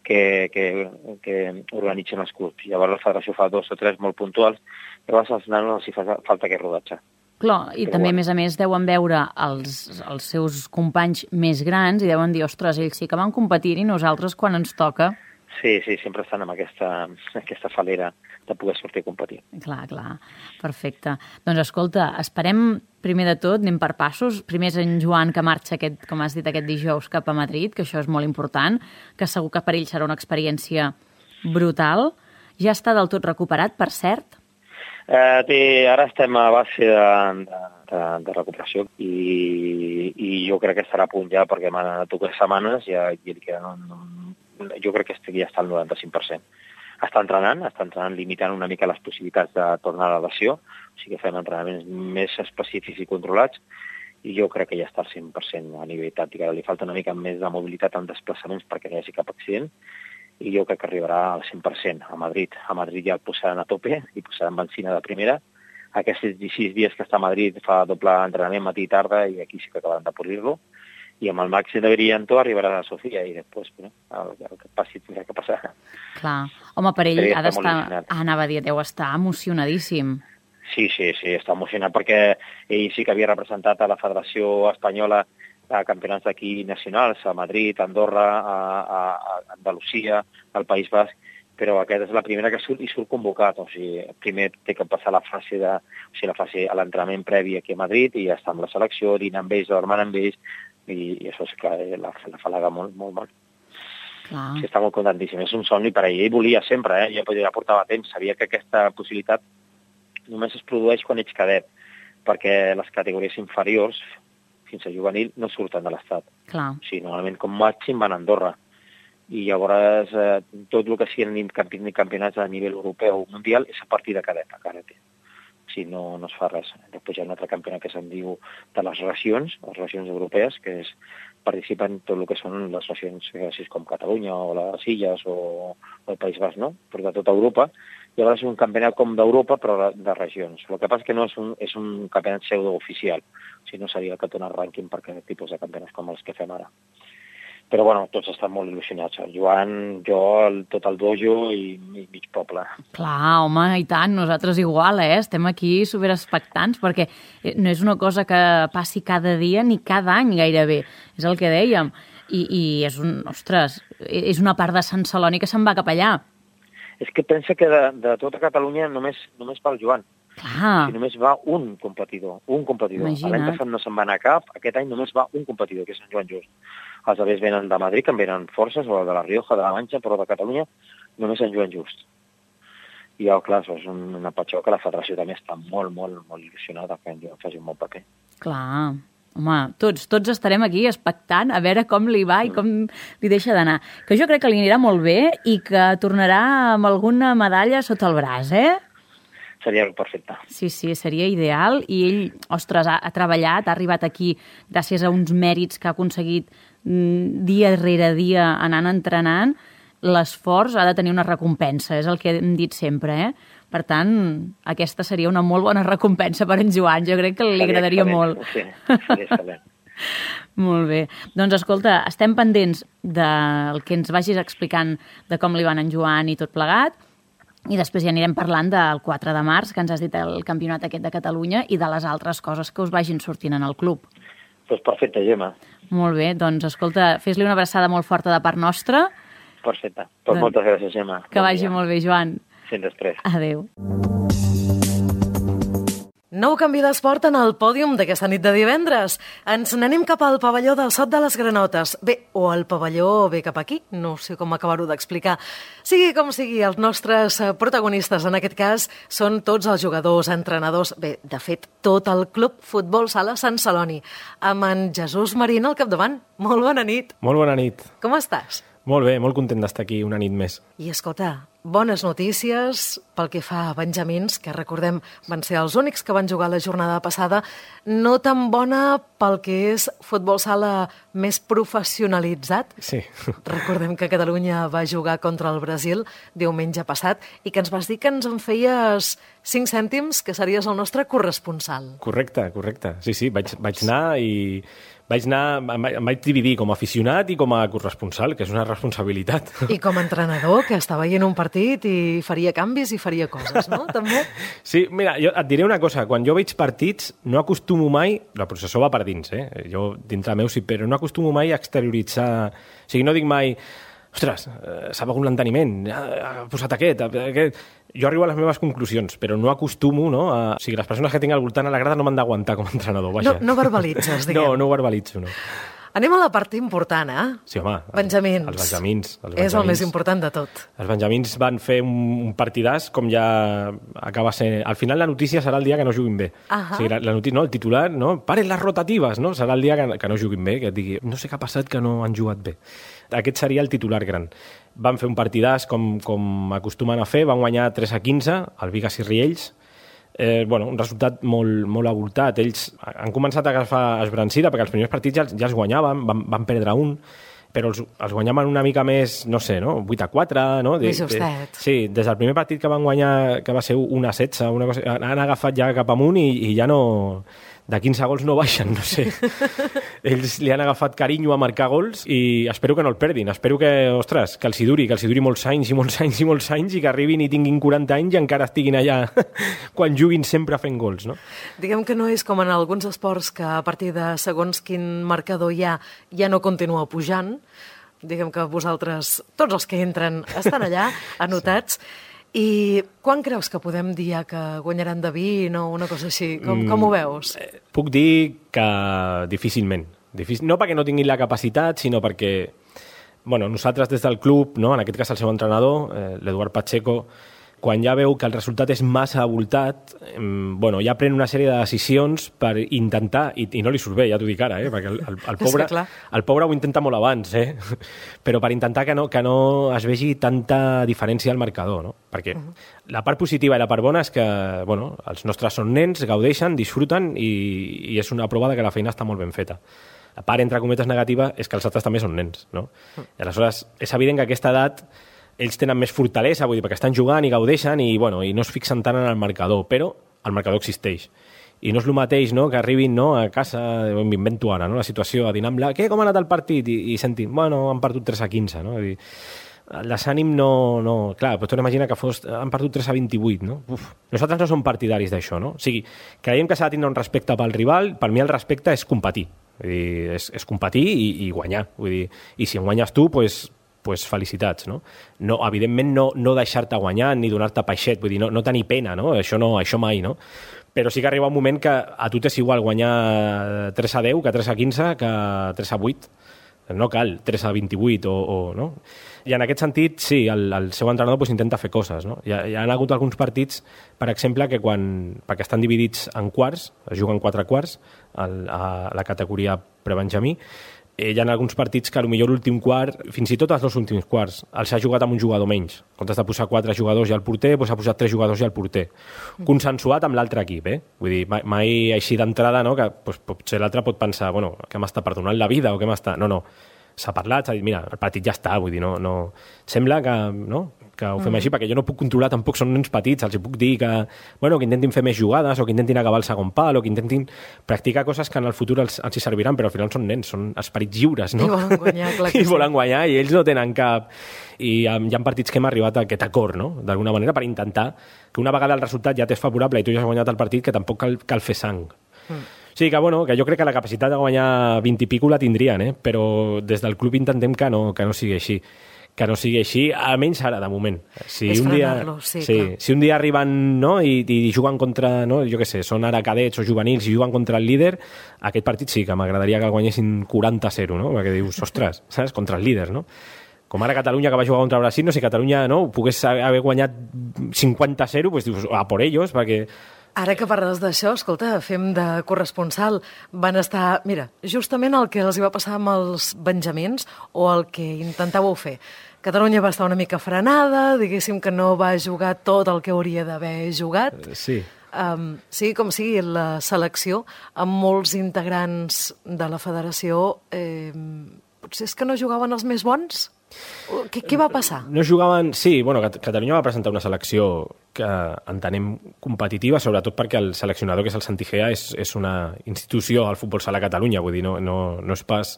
que, que, que organitzen els clubs. Llavors la federació fa dos o tres molt puntuals, llavors als nanos els hi fa falta aquest rodatge. Clar, i Però també, bueno. a més a més, deuen veure els, els seus companys més grans i deuen dir, ostres, ells sí que van competir i nosaltres quan ens toca... Sí, sí, sempre estan amb aquesta, aquesta falera de poder sortir a competir. Clar, clar, perfecte. Doncs escolta, esperem primer de tot, anem per passos. Primer és en Joan que marxa, aquest, com has dit, aquest dijous cap a Madrid, que això és molt important, que segur que per ell serà una experiència brutal. Ja està del tot recuperat, per cert? Eh, té, ara estem a base de, de, de recuperació i, i jo crec que estarà a punt ja perquè m'han anat dues setmanes i ja, ja li queden un, jo crec que ja està al noranta-cinc per cent. Està entrenant, està entrenant limitant una mica les possibilitats de tornar a la lesió, o sigui que fem entrenaments més específics i controlats, i jo crec que ja està al cent per cent a nivell tàctic. Ara li falta una mica més de mobilitat en desplaçaments perquè no hi hagi cap accident, i jo crec que arribarà al cent per cent a Madrid. A Madrid ja el posaran a tope i posaran benzina de primera. Aquests sis dies que està a Madrid fa doble entrenament matí i tarda i aquí sí que acabaran de polir-lo. I amb el màxim de brillantor arribarà a Sofia i després, bueno, el, el que passi tindrà que passar. Clar. Home, per ell Però ha d'estar... Ah, anava a dir, deu estar emocionadíssim. Sí, sí, sí, està emocionat perquè ell sí que havia representat a la Federació Espanyola a campionats d'aquí nacionals, a Madrid, a Andorra, a, a, a Andalusia, al País Basc, però aquesta és la primera que surt i surt convocat. O sigui, primer té que passar la fase de, o sigui, la fase a l'entrenament previ aquí a Madrid i ja està amb la selecció, dinar amb ells, dormant amb ells, i, i això és clar, la, la falaga molt, molt, molt. Clar. Sí, està molt contentíssim. És un somni per a ell. Ell volia sempre, eh? Ja, ja portava temps. Sabia que aquesta possibilitat només es produeix quan ets cadet, perquè les categories inferiors, fins a juvenil, no surten de l'Estat. Clar. O sigui, normalment, com màxim, van a Andorra. I llavors, eh, tot el que siguin campionats a nivell europeu o mundial és a partir de cadet, a karate. Si no, no es fa res. Després hi ha un altre campionat que se'n diu de les regions, les regions europees, que és, participen tot el que són les regions així com Catalunya o les Illes o, o el País Basc, no? Però de tota Europa. Llavors és un campionat com d'Europa, però de, de regions. El que passa és que no és un, és un campionat pseudo-oficial. O sigui, no seria el que dona rànquing per aquest tipus de campionats com els que fem ara. Però, bueno, tots estan molt il·lusionats. El Joan, jo, el, tot el dojo i, i mig poble. Clar, home, i tant, nosaltres igual, eh? Estem aquí superexpectants, perquè no és una cosa que passi cada dia ni cada any gairebé. És el que dèiem. I, i és un, ostres, és una part de Sant Celoni que se'n va cap allà. És que pensa que de, de tota Catalunya només, només va el Joan. Clar. Si només va un competidor, un competidor. L'any passat no se'n va anar cap, aquest any només va un competidor, que és Sant Joan Just. Els altres venen de Madrid, que en venen forces, o de la Rioja, de la Manxa, però de Catalunya només Sant Joan Just. I, oh, clar, és una patxó que la federació també està molt, molt, molt il·lusionada que en Joan faci un bon paper. Clar. Home, tots, tots estarem aquí expectant a veure com li va i com li deixa d'anar. Que jo crec que li anirà molt bé i que tornarà amb alguna medalla sota el braç, eh? Seria perfecte. Sí, sí, seria ideal. I ell, ostres, ha, ha treballat, ha arribat aquí gràcies a uns mèrits que ha aconseguit mm, dia rere dia anant entrenant. L'esforç ha de tenir una recompensa, és el que hem dit sempre, eh? Per tant, aquesta seria una molt bona recompensa per en Joan. Jo crec que li agradaria molt. Sí, seria excel·lent. Molt bé. Doncs, escolta, estem pendents del que ens vagis explicant de com li van en Joan i tot plegat, i després ja anirem parlant del quatre de març, que ens has dit el campionat aquest de Catalunya, i de les altres coses que us vagin sortint en el club. Doncs perfecte, Gemma. Molt bé, doncs escolta, fes-li una abraçada molt forta de part nostra Perfecte. Doncs doncs, moltes gràcies, Gemma. Que bon vagi dia. Molt bé, Joan. Fins després. Adéu. Nou canvi d'esport en el pòdium d'aquesta nit de divendres. Ens n'anem cap al pavelló del Sot de les Granotes. Bé, o el pavelló ve cap aquí, no sé com acabar-ho d'explicar. Sigui com sigui, els nostres protagonistes en aquest cas són tots els jugadors, entrenadors, bé, de fet, tot el Club Futbol Sala Sant Celoni, amb en Jesús Marín al capdavant. Molt bona nit. Molt bona nit. Com estàs? Molt bé, molt content d'estar aquí una nit més. I escolta, bones notícies pel que fa a benjamins, que recordem van ser els únics que van jugar la jornada passada, no tan bona pel que és futbol sala més professionalitzat. Sí. Recordem que Catalunya va jugar contra el Brasil diumenge passat i que ens vas dir que ens en feies cinc cèntims, que series el nostre corresponsal. Correcte, correcte. Sí, sí, vaig, vaig anar i... Vaig anar, em vaig dividir com a aficionat i com a corresponsal, que és una responsabilitat. I com a entrenador, que està veient un partit i faria canvis i faria coses, no? També? Sí, mira, jo et diré una cosa. Quan jo veig partits, no acostumo mai... La processó va per dins, eh? Jo, dintre meu, sí, però no acostumo mai a exterioritzar... O sigui, no dic mai... Ostres, s'ha begut l'enteniment, ha posat aquest, aquest... Jo arribo a les meves conclusions, però no acostumo, no? A... O sigui, les persones que tinc al voltant a la grada no m'han d'aguantar com a entrenador, vaja. No, no verbalitzes, diguem. No, no ho verbalitzo, no. Anem a la part important, eh? Sí, home. Benjamins. Els benjamins. Els benjamins. És el més important de tot. Els benjamins van fer un, un partidàs, com ja acaba sent... Al final la notícia serà el dia que no juguin bé. Uh-huh. O sigui, la, la notícia, no, el titular, no? Paren les rotatives, no? Serà el dia que, que no juguin bé, que et digui, no sé què ha passat que no han jugat bé. Aquest seria el titular gran. Van fer un partidàs com, com acostumen a fer, van guanyar tres a quinze, el Bigues i Riells. Eh, bueno, un resultat molt, molt avoltat. Ells han començat a agafar esbrancida, perquè els primers partits ja, ja els guanyaven, van, van perdre un, però els, els guanyaven una mica més, no sé, no? vuit a quatre, no? De, més justet. De, sí, des del primer partit que van guanyar, que va ser un a setze, una cosa, han agafat ja cap amunt i, i ja no... De quinze gols no baixen, no sé. Ells li han agafat carinyo a marcar gols i espero que no el perdin. Espero que, ostres, que els hi duri, que els hi duri molts anys i molts anys i molts anys i que arribin i tinguin quaranta anys i encara estiguin allà quan juguin sempre fent gols, no? Diguem que no és com en alguns esports que a partir de segons quin marcador hi ha, ja no continua pujant. Diguem que vosaltres, tots els que entren, estan allà, anotats. Sí. I quan creus que podem dir que guanyaran de vint o una cosa així? Com, com ho veus? Mm, puc dir que difícilment. Difícil, no perquè no tinguin la capacitat, sinó perquè bueno, nosaltres des del club, no, en aquest cas el seu entrenador, eh, l'Eduard Pacheco, quan ja veu que el resultat és massa avoltat, eh, bueno, ja pren una sèrie de decisions per intentar, i, i no li surt bé, ja t'ho dic ara, eh, perquè el, el, el, pobre, el pobre ho intenta molt abans, eh, però per intentar que no, que no es vegi tanta diferència al marcador, no? Perquè uh -huh. la part positiva i la part bona és que bueno, els nostres són nens, gaudeixen, disfruten i, i és una prova de que la feina està molt ben feta. La part, entre cometes, negativa és que els altres també són nens, no? Uh -huh. I aleshores, és evident que a aquesta edat ells tenen més fortalesa, vull dir, perquè estan jugant i gaudeixen i, bueno, i no es fixen tant en el marcador, però el marcador existeix. I no és el mateix, no?, que arribin, no?, a casa, m'invento ara, no?, la situació, a dinar amb la... Què, com ha anat el partit? I, i sentim, bueno, han perdut tres a quinze, no? I desànim no... no clar, pots imaginar que fos, han perdut tres a vint-i-vuit, no? Uf. Nosaltres no som partidaris d'això, no? O sigui, creiem que s'ha de tindre un respecte pel rival, per mi el respecte és competir, vull dir, és, és competir i, i guanyar, vull dir, i si en guanyes tu, doncs... Pues, pues felicitats, no? No, evidentment no, no deixar-te guanyar ni donar-te peixet, vull dir, no, no tenir pena, no? Això no, això mai, no? Però sí que arriba un moment que a tu t'és igual guanyar tres a deu que tres a quinze que tres a vuit. No cal tres a vint-i-vuit o, o no? I en aquest sentit, sí, el, el seu entrenador pues, intenta fer coses, no? Hi ha, hi ha hagut alguns partits, per exemple, que quan, perquè estan dividits en quarts, es juguen quatre quarts el, a la categoria prebenjamí, hi ha alguns partits que potser l'últim quart, fins i tot els dos últims quarts, els ha jugat amb un jugador menys. En comptes de posar quatre jugadors i al porter, doncs ha posat tres jugadors i al porter. Consensuat amb l'altre equip, eh? Vull dir, mai, mai així d'entrada, no?, que doncs, potser l'altre pot pensar, bueno, que m'està perdonant la vida o què m'està... No, no, s'ha parlat, s'ha dit, mira, el partit ja està, vull dir, no... no... Sembla que, no?, que ho fem mm. així, perquè jo no puc controlar, tampoc són nens petits, els puc dir que, bueno, que intentin fer més jugades o que intentin acabar el segon pal o que intentin practicar coses que en el futur els, els hi serviran, però al final són nens, són esperits lliures, no? I volen guanyar, clar que I sí. volen guanyar i ells no tenen cap... I hi ha partits que hem arribat a aquest acord, no?, d'alguna manera, per intentar que una vegada el resultat ja t'és favorable i tu ja has guanyat el partit, que tampoc cal, cal fer sang. Mm. Sí, que, bueno, que jo crec que la capacitat de guanyar vint i pico la tindrien, eh? Però des del club intentem que no, que no sigui així. que no sigui així, almenys ara, de moment. Si és un dia, sí, sí, si un dia arriben, no, i, i juguen contra, no, jo què sé, són ara cadets o juvenils i juguen contra el líder, aquest partit sí que m'agradaria que el guanyessin quaranta a zero, no? Perquè dius, ostres, saps? Contra el líder, no? Com ara Catalunya, que va jugar contra Brasil, no sé si Catalunya no, pogués haver guanyat cinquanta a zero, doncs dius, a por ellos, perquè... Ara que parles d'això, escolta, fem de corresponsal. Van estar, mira, justament el que els hi va passar amb els benjamins o el que intentàveu fer. Catalunya va estar una mica frenada, diguéssim que no va jugar tot el que hauria d'haver jugat. Sí. Um, sigui com sigui, la selecció, amb molts integrants de la federació, eh, potser és que no jugaven els més bons? Què, què va passar? No jugaven... Sí, bueno, Catalunya va presentar una selecció que entenem competitiva, sobretot perquè el seleccionador, que és el Santi Gea, és, és una institució al futbol sala a Catalunya, vull dir, no, no, no és pas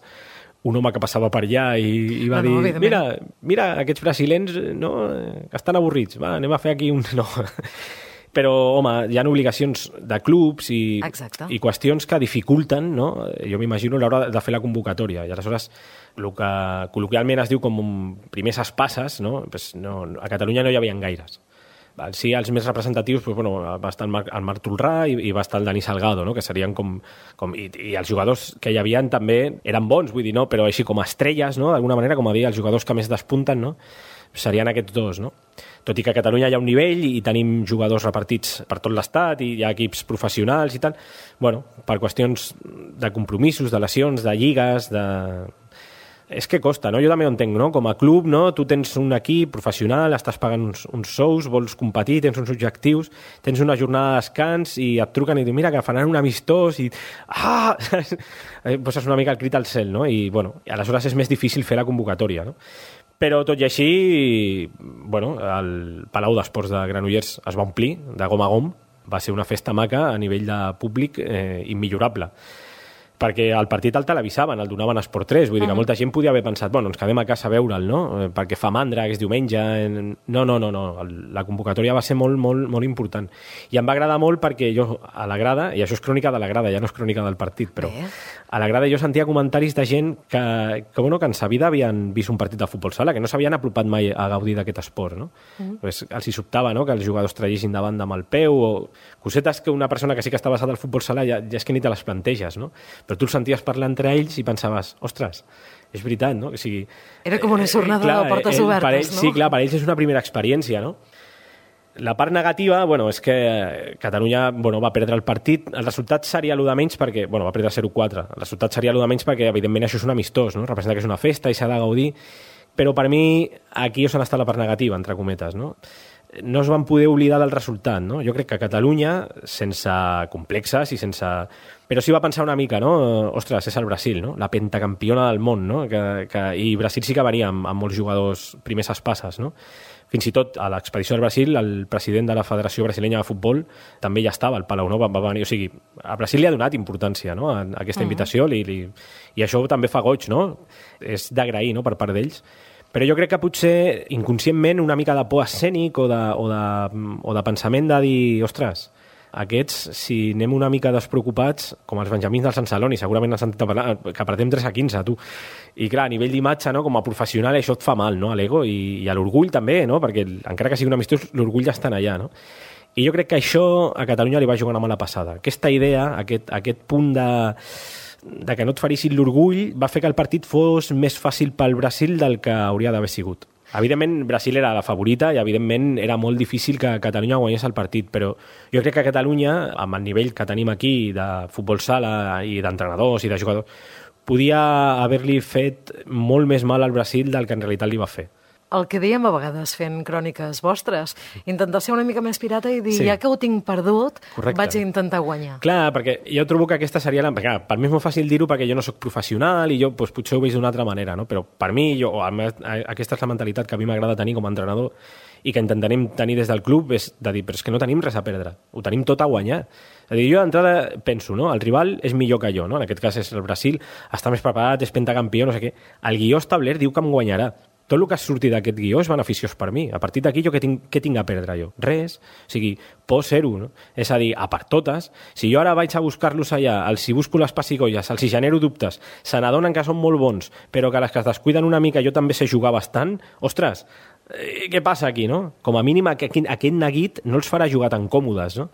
un home que passava per allà i, i va no, no, dir, mira, mira, aquests brasilens no, estan avorrits, va, anem a fer aquí un... No. Però, home, hi ha obligacions de clubs i, i qüestions que dificulten, no? Jo m'imagino l'hora de fer la convocatòria. I aleshores, el que col·loquialment es diu com primers espasses, no? Pues no, a Catalunya no hi havia gaires. Sí, els més representatius, pues, bueno, va estar el Marc, el Marc Tolrà i, i va estar el Dani Salgado, no? Que serien com... com i, i els jugadors que hi havia també eren bons, vull dir, no? Però així com estrelles, no? D'alguna manera, com a dir, els jugadors que més despunten, no? Serien aquests dos, no? Tot i que a Catalunya hi ha un nivell i tenim jugadors repartits per tot l'estat i hi ha equips professionals i tal, bueno, per qüestions de compromisos, de lesions, de lligues, de... És que costa, no? Jo també ho entenc, no? Com a club, no? Tu tens un equip professional, estàs pagant uns, uns sous, vols competir, tens uns objectius, tens una jornada de descans i et truquen i diuen, mira, que faran un amistós i... Ah! Poses una mica el crit al cel, no? I, bueno, aleshores és més difícil fer la convocatòria, no? Però tot i així, bueno, el Palau d'Esports de Granollers es va omplir de gom a gom, va ser una festa maca a nivell de públic eh, immillorable. Perquè el partit el televisaven, el donaven a Esport tres, vull dir que molta gent podia haver pensat, bueno, ens quedem a casa a veure'l, no? Perquè fa mandra, que és diumenge... No, no, no, no, la convocatòria va ser molt, molt, molt important. I em va agradar molt perquè jo, a la grada, i això és crònica de la grada, ja no és crònica del partit, però a la grada jo sentia comentaris de gent que, que, bueno, que en sa vida havien vist un partit de futbol sala, que no s'havien apropat mai a gaudir d'aquest esport, no? Mm. Pues els hi sobtava, no?, que els jugadors traguessin davant amb el peu, o cosetes que una persona que sí que està basada al futbol sala ja, ja és que ni te les planteges, no? Però tu els senties parlar entre ells i pensaves, ostres, és veritat, no? O sigui, era com una jornada eh, clar, de portes obertes, per ells, no? Sí, clar, per ells és una primera experiència, no? La part negativa, bueno, és que Catalunya, bueno, va perdre el partit. El resultat seria l'u de menys perquè... Bueno, va perdre zero quatre. El resultat seria l'u de menys perquè, evidentment, això és un amistós, no? Representa que és una festa i s'ha de gaudir. Però per mi, aquí és on està la part negativa, entre cometes, no? No es van poder oblidar del resultat, no? Jo crec que Catalunya, sense complexes i sense... Però sí va pensar una mica, no? Ostres, és el Brasil, no? La pentacampiona del món, no? Que, que... I Brasil sí que venia amb, amb molts jugadors primers espasses, no? Fins i tot a l'expedició del Brasil, el president de la Federació Brasilenya de Futbol també ja estava al Palau, no? Va, va venir, o sigui, a Brasil li ha donat importància, no?, a, a aquesta invitació, li, li... i això també fa goig, no? És d'agrair, no?, per part d'ells. Però jo crec que potser inconscientment una mica de por escènic o de, o de, o de pensament de dir, ostres, aquests, si anem una mica despreocupats, com els benjamins del Sant Celoni, segurament has sentit parlar, que perdem tres a quinze, tu. I clar, a nivell d'imatge, no, com a professional, això et fa mal, no?, a l'ego i, i a l'orgull també, no?, perquè encara que sigui un amistós, l'orgull ja està allà, no? I jo crec que això a Catalunya li va jugar una mala passada. Aquesta idea, aquest, aquest punt de... de que no et ferissin l'orgull, va fer que el partit fos més fàcil pel Brasil del que hauria d'haver sigut. Evidentment, Brasil era la favorita i, evidentment, era molt difícil que Catalunya guanyés el partit, però jo crec que Catalunya, amb el nivell que tenim aquí de futbol sala i d'entrenadors i de jugadors, podia haver-li fet molt més mal al Brasil del que en realitat li va fer. El que dèiem a vegades fent cròniques vostres, intentar ser una mica més pirata i dir, sí, ja que ho tinc perdut, correcte, vaig a intentar guanyar. Clar, perquè jo trobo que aquesta seria la... Clar, per mi és molt fàcil dir-ho perquè jo no sóc professional i jo doncs, potser ho veig d'una altra manera, no? Però per mi, jo, o, aquesta és la mentalitat que a mi m'agrada tenir com a entrenador i que intentarem tenir des del club, és de dir, però és que no tenim res a perdre, ho tenim tot a guanyar. És a dir, jo d'entrada penso, no?, el rival és millor que jo, no? En aquest cas és el Brasil, està més preparat, és pentacampió, no sé què. El guió establert diu que em guanyarà. tot el que ha sortit d'aquest guió és beneficiós per mi. A partir d'aquí, jo què tinc, què tinc a perdre jo? Res. O sigui, pot ser-ho, no? És a dir, a part totes, si jo ara vaig a buscar-los allà, els si busco les pessigolles, els si genero dubtes, se n'adonen que són molt bons, però que les que es descuiden una mica jo també sé jugar bastant, ostres, eh, què passa aquí, no? Com a mínim aquest, aquest neguit no els farà jugar tan còmodes, no?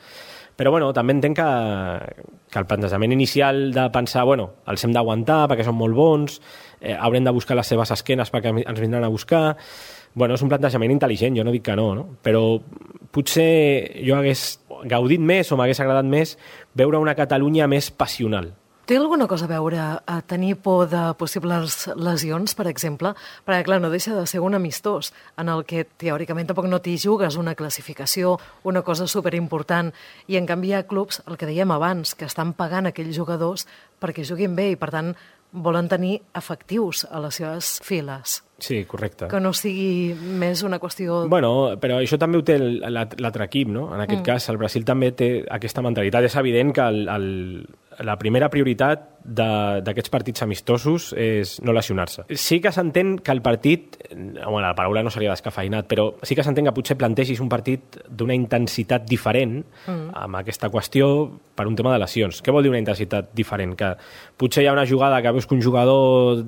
Però bueno, també entenc que, que el plantejament inicial de pensar, bueno, els hem d'aguantar perquè són molt bons, eh, haurem de buscar les seves esquenes perquè ens vindran a buscar. Bueno, és un plantejament intel·ligent, jo no dic que no, no? Però potser jo hagués gaudit més o m'hagués agradat més veure una Catalunya més passional. Té alguna cosa a veure a tenir por de possibles lesions, per exemple? Perquè, clar, no deixa de ser un amistós en el que teòricament tampoc no t'hi jugues una classificació, una cosa superimportant, i en canvi hi ha clubs, el que dèiem abans, que estan pagant aquells jugadors perquè juguin bé i, per tant, volen tenir efectius a les seves files. Sí, correcte. Que no sigui més una qüestió... Bueno, però això també ho té l'altre equip, no? En aquest mm. cas, el Brasil també té aquesta mentalitat. És evident que el, el, la primera prioritat d'aquests partits amistosos és no lesionar-se. Sí que s'entén que el partit, bueno, la paraula no seria descafeinat, però sí que s'entén que potser plantegis un partit d'una intensitat diferent mm. amb aquesta qüestió per un tema de lesions. Què vol dir una intensitat diferent? Que potser hi ha una jugada que veus que un jugador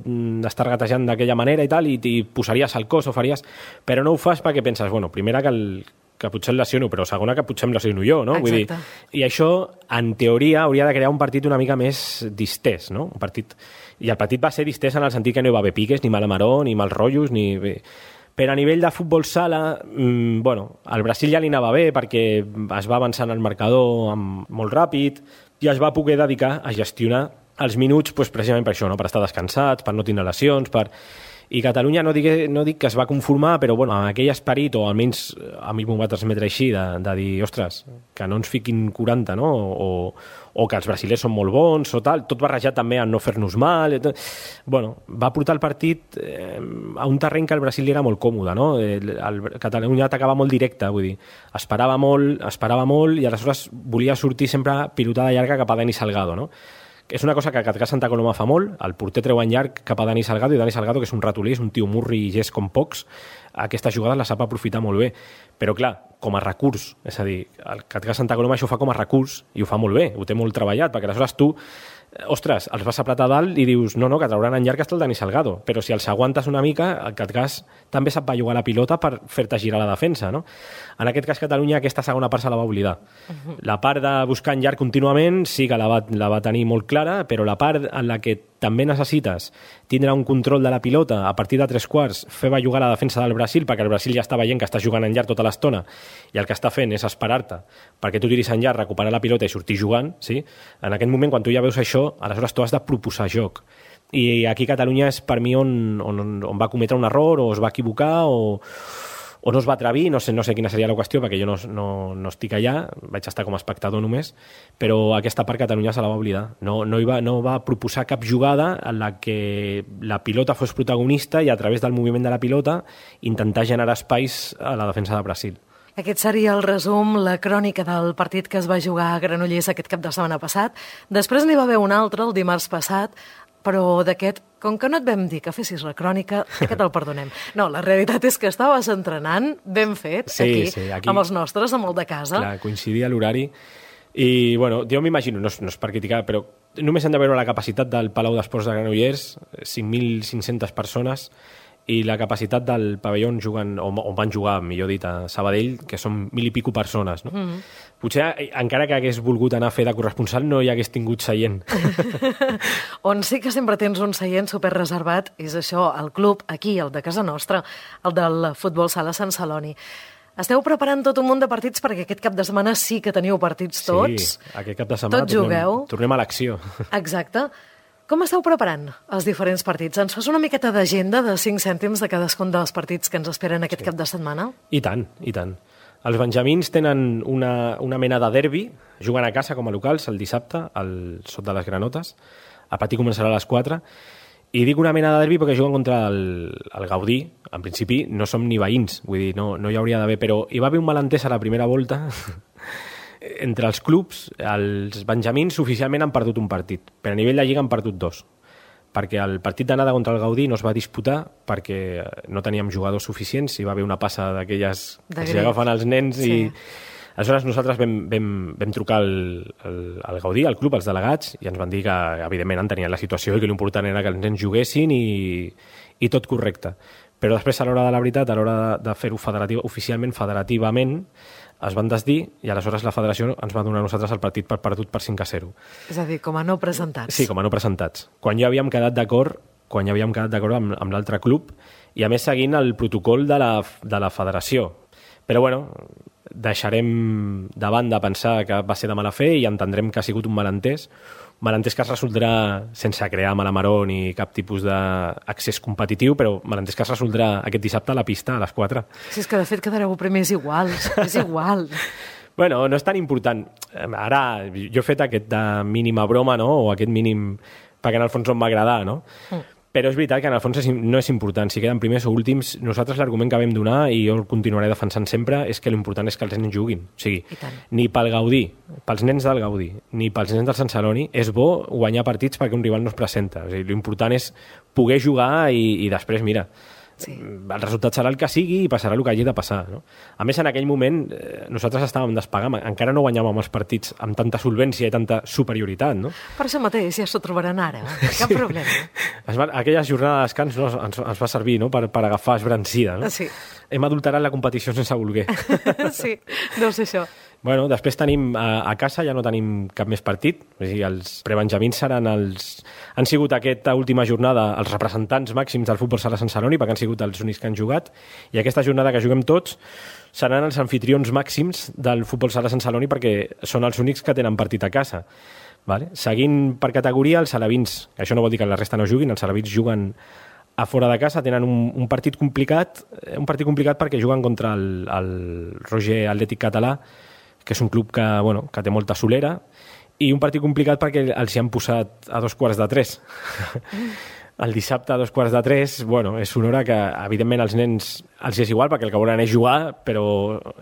està regatejant d'aquella manera i tal, i i posaries el cos o faries... Però no ho fas perquè penses, bueno, primera que, el, que potser el lesiono, però segona que potser em lesiono jo, no? Vull dir, i això, en teoria, hauria de crear un partit una mica més distès, no? Un partit... I el partit va ser distès en el sentit que no hi va haver piques, ni mala maró, ni mals rotllos, ni... Però a nivell de futbol sala, mmm, bueno, al Brasil ja li anava bé perquè es va avançant el marcador amb, molt ràpid i es va poder dedicar a gestionar els minuts pues, precisament per això, no? Per estar descansats, per no tenir lesions, per... I Catalunya no dic, no dic que es va conformar, però bueno, amb aquell esperit, o almenys a mi m'ho va transmetre així, de, de dir, ostres, que no ens fiquin quaranta, no? O, o que els brasilers són molt bons, o tal, tot barrejat també a no fer-nos mal. Tot... Bueno, va portar el partit eh, a un terreny que el Brasil era molt còmode, no? El, el Catalunya atacava molt directe, vull dir, esperava molt, esperava molt, i aleshores volia sortir sempre pilotada llarga cap a Dani Salgado, no? És una cosa que Catcà Santa Coloma fa molt, el porter treu en llarg cap a Dani Salgado, i Dani Salgado, que és un ratolí, és un tio murri i gest com pocs, aquesta jugada la sap aprofitar molt bé. Però clar, com a recurs, és a dir, el Catcà Santa Coloma això ho fa com a recurs i ho fa molt bé, ho té molt treballat, perquè aleshores tu, ostres, els vas apretar dalt i dius, no, no, que trauran en llarg hasta el Dani Salgado, però si els aguantes una mica, el Catcàs també sap jugar la pilota per fer-te girar la defensa, no? En aquest cas, Catalunya, aquesta segona part se la va oblidar. Uh-huh. La part de buscar en llarg contínuament sí que la va, la va tenir molt clara, però la part en la que també necessites tindre un control de la pilota a partir de tres quarts, fer bellugar la defensa del Brasil, perquè el Brasil ja està veient que està jugant en llarg tota l'estona i el que està fent és esperar-te perquè tu tiris en llarg, recuperar la pilota i sortir jugant, sí? En aquest moment, quan tu ja veus això, aleshores tu has de proposar joc. I aquí Catalunya és per mi on, on, on va cometre un error o es va equivocar o, o no es va atrevir, no sé, no sé quina seria la qüestió perquè jo no, no, no estic allà, vaig estar com a espectador només, però aquesta part Catalunya se la va oblidar. No, no, hi va, no va proposar cap jugada en la que la pilota fos protagonista i a través del moviment de la pilota intentar generar espais a la defensa de Brasil. Aquest seria el resum, la crònica del partit que es va jugar a Granollers aquest cap de setmana passat. Després n'hi va haver un altre, el dimarts passat, però d'aquest, com que no et vam dir que fessis la crònica, que te'l perdonem. No, la realitat és que estaves entrenant, ben fet, sí, aquí, sí, aquí, amb els nostres, amb el de casa. Clar, coincidia l'horari. I, bueno, jo m'imagino, no, no és per criticar, però només hem de veure la capacitat del Palau d'Esports de Granollers, cinc mil cinc-centes persones, i la capacitat del pavelló on, juguen, on, on van jugar, millor dit, a Sabadell, que són mil i pico persones. No? Mm-hmm. Potser, encara que hagués volgut anar a fer de corresponsal, no hi hagués tingut seient. On sí que sempre tens un seient superreservat és això, el club, aquí, el de casa nostra, el del Futbol Sala Sant Celoni. Esteu preparant tot un munt de partits perquè aquest cap de setmana sí que teniu partits tots. Sí, aquest cap de setmana tots tornem, jugueu. Tornem a l'acció. Exacte. Com esteu preparant els diferents partits? Ens fas una miqueta d'agenda de cinc cèntims de cadascun dels partits que ens esperen aquest sí. cap de setmana? I tant, i tant. Els benjamins tenen una, una mena de derbi, juguen a casa com a locals el dissabte, al Sot de les Granotes. El partit començarà a les quatre. I dic una mena de derbi perquè juguen contra el, el Gaudí. En principi no som ni veïns, vull dir, no, no hi hauria d'haver, però hi va haver un malentès a la primera volta. Entre els clubs, els benjamins oficialment han perdut un partit, però a nivell de lliga han perdut dos. perquè el partit d'anada contra el Gaudí no es va disputar perquè no teníem jugadors suficients, hi va haver una passa d'aquelles que s'hi agafen els nens sí. i aleshores nosaltres vam, vam, vam trucar al, al, al Gaudí, al club, als delegats, i ens van dir que evidentment entenien la situació i que l'important era que els nens juguessin i, i tot correcte. Però després, a l'hora de la veritat, a l'hora de fer-ho federatiu, oficialment, federativament, es van desdir i aleshores la federació ens va donar a nosaltres el partit per perdut per cinc a zero. És a dir, com a no presentats. Sí, com a no presentats. Quan ja havíem quedat d'acord quan ja havíem quedat d'acord amb, amb l'altre club i a més seguint el protocol de la, de la federació. Però bueno, deixarem de banda pensar que va ser de mala fe i entendrem que ha sigut un malentès, malentès que es resoldrà sense crear mala maror ni cap tipus d'accés competitiu, però malentès que es resoldrà aquest dissabte a la pista a les quatre. Si és que de fet quedareu primers igual, és igual. Bueno, no és tan important. Ara, jo he fet aquesta mínima broma, no?, o aquest mínim, perquè en el fons em va agradar, no? Mm. Però és veritat que en el fons no és important. Si queden primers o últims, nosaltres l'argument que vam donar, i jo el continuaré defensant sempre, és que l'important és que els nens juguin. O sigui, ni pel Gaudí, pels nens del Gaudí, ni pels nens del Sant Celoni, és bo guanyar partits perquè un rival no es presenta. O sigui, l'important és poder jugar i, i després, mira, sí. el resultat serà el que sigui i passarà el que hagi de passar. No? A més, en aquell moment, eh, nosaltres estàvem despegant, encara no guanyàvem els partits amb tanta solvència i tanta superioritat. No? Per això mateix ja s'ho trobaran ara, eh? Cap sí. problema. Es va, aquella jornada de descans no, ens, ens va servir, no?, per, per agafar esbrancida. No? Sí. Hem adulterat la competició sense voler. Sí, deu ser això. Bueno, després tenim a, a casa, ja no tenim cap més partit. O sigui, els prebenjamins seran els... Han sigut aquesta última jornada els representants màxims del futbol sala Sant Celoni, perquè han sigut els únics que han jugat, i aquesta jornada que juguem tots seran els anfitrions màxims del futbol sala Sant Celoni perquè són els únics que tenen partit a casa. Vale? Seguint per categoria, els alevins, això no vol dir que la resta no juguin, els alevins juguen a fora de casa, tenen un, un partit complicat, un partit complicat perquè juguen contra el, el Roger Atlètic Català, que és un club que, bueno, que té molta solera, i un partit complicat perquè els hi han posat a dos quarts de tres. El dissabte a dos quarts de tres, bueno, és una hora que, evidentment, als nens els és igual, perquè el que volen és jugar, però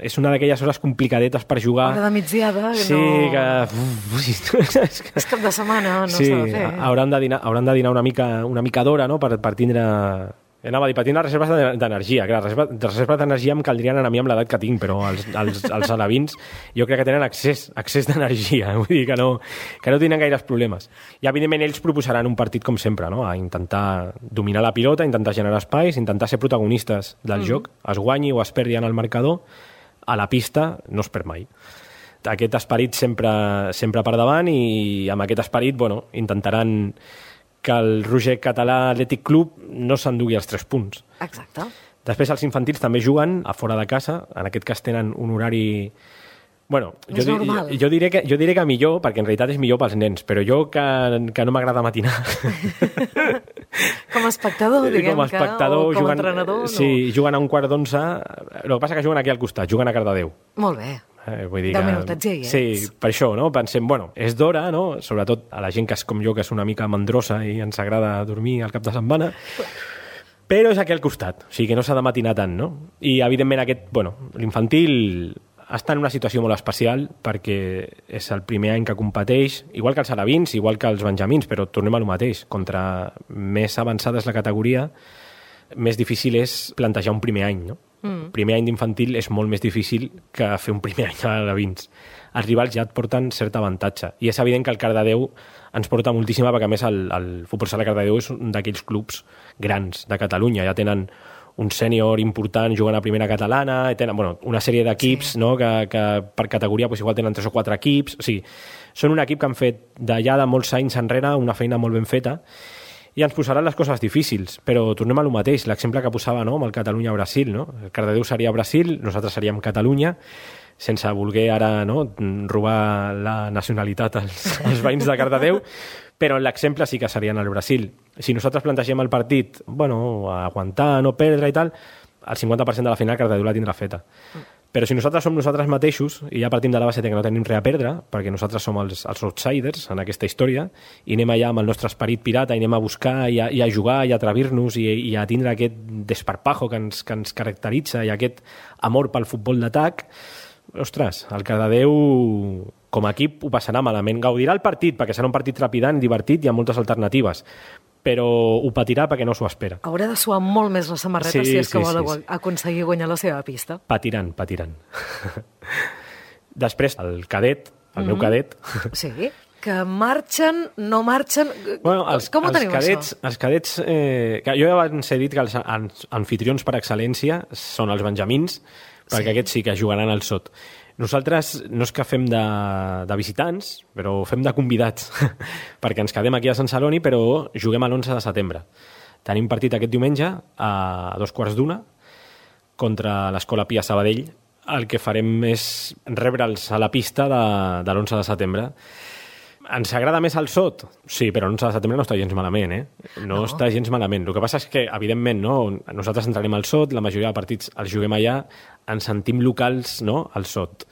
és una d'aquelles hores complicadetes per jugar. Hora de migdiada, que sí, no... que... Uf, és, que... és cap de setmana, no sí, s'ha de fer. Hauran de dinar, hauran de dinar una mica, una mica d'hora, no?, per, per tindre... Anava a dir, per tindre reserves d'energia. Clar, reserves, reserves d'energia em caldrien a mi amb l'edat que tinc, però els, els, els alevins jo crec que tenen accés, accés d'energia. Vull dir que no, que no tenen gaires problemes. I, evidentment, ells proposaran un partit com sempre, no?, a intentar dominar la pilota, intentar generar espais, intentar ser protagonistes del mm. joc, es guanyi o es perdi en el marcador, a la pista no es perd mai. Aquest esperit sempre, sempre per davant i amb aquest esperit, bueno, intentaran que el Roger Català Atlètic Club no s'endugui els tres punts. Exacte. Després els infantils també juguen a fora de casa, en aquest cas tenen un horari... Bueno, jo, jo, jo, diré que, jo diré que millor, perquè en realitat és millor pels nens, però jo que, que no m'agrada matinar. Com a espectador, diguem, com a espectador, que, o com a juguen, entrenador. No. Sí, juguen a un quart d'onze, el que passa que juguen aquí al costat, juguen a Cardedeu. Molt bé. Eh, vull dir deu que, minutets ja hi ets. Sí, per això, no? Pensem, bueno, és d'hora, no? Sobretot a la gent que és com jo, que és una mica mandrosa i ens agrada dormir al cap de setmana, però és aquí al costat, o sigui que no s'ha de matinar tant, no? I, evidentment, aquest, bueno, l'infantil està en una situació molt especial perquè és el primer any que competeix, igual que els alevins, igual que els benjamins, però tornem a lo mateix. Contra més avançada és la categoria, més difícil és plantejar un primer any, no? Mm. Primer any d'infantil és molt més difícil que fer un primer any a alevins. Els rivals ja et porten cert avantatge. I és evident que el Cardedeu ens porta moltíssima, perquè a més el, el futbol sala Cardedeu és un d'aquells clubs grans de Catalunya. Ja tenen un sènior important jugant a primera catalana, tenen, bueno, una sèrie d'equips, sí. no? que, que per categoria pues, igual tenen tres o quatre equips. O sigui, són un equip que han fet d'allà de molts anys enrere una feina molt ben feta i ens posaran les coses difícils, però tornem a lo mateix, l'exemple que posava, no?, amb el Catalunya-Brasil, no? El Cardedeu seria Brasil, nosaltres seríem Catalunya, sense voler ara, no?, robar la nacionalitat als, als veïns de Cardedeu, però l'exemple sí que serien el Brasil. Si nosaltres plantegem el partit, bueno, aguantar, no perdre i tal, el cinquanta per cent de la final Cardedeu la tindrà feta. Però si nosaltres som nosaltres mateixos, i ja partim de la base que no tenim res a perdre, perquè nosaltres som els, els outsiders en aquesta història, i anem allà amb el nostre esperit pirata, i anem a buscar, i a, i a jugar, i a atrevir-nos, i, i a tindre aquest desparpajo que ens, que ens caracteritza, i aquest amor pel futbol d'atac, ostres, el Cardedeu com a equip ho passarà malament. Gaudirà el partit, perquè serà un partit trepidant, divertit i amb moltes alternatives. però ho patirà perquè no s'ho espera. Haurà de suar molt més la samarreta sí, si és que sí, vol sí, sí. aconseguir guanyar la seva pista. Patiran, patiran. Després, el cadet, el mm-hmm. meu cadet... Sí, que marxen, no marxen... Bueno, els, Com ho els tenim, cadets, això? Els cadets... Eh, que jo abans he dit que els anfitrions per excel·lència són els benjamins, perquè sí. aquests sí que jugaran al sot. Nosaltres no és que fem de, de visitants, però fem de convidats, perquè ens quedem aquí a Sant Celoni, però juguem a l'onze de setembre. Tenim partit aquest diumenge a dos quarts d'una contra l'Escola Pia Sabadell. El que farem és rebre'ls a la pista de, de l'onze de setembre. Ens agrada més el sot? Sí, però l'onze de setembre no està gens malament, eh? No, no està gens malament. El que passa és que, evidentment, no, nosaltres entrarem al sot, la majoria de partits els juguem allà, ens sentim locals, no?, al sot.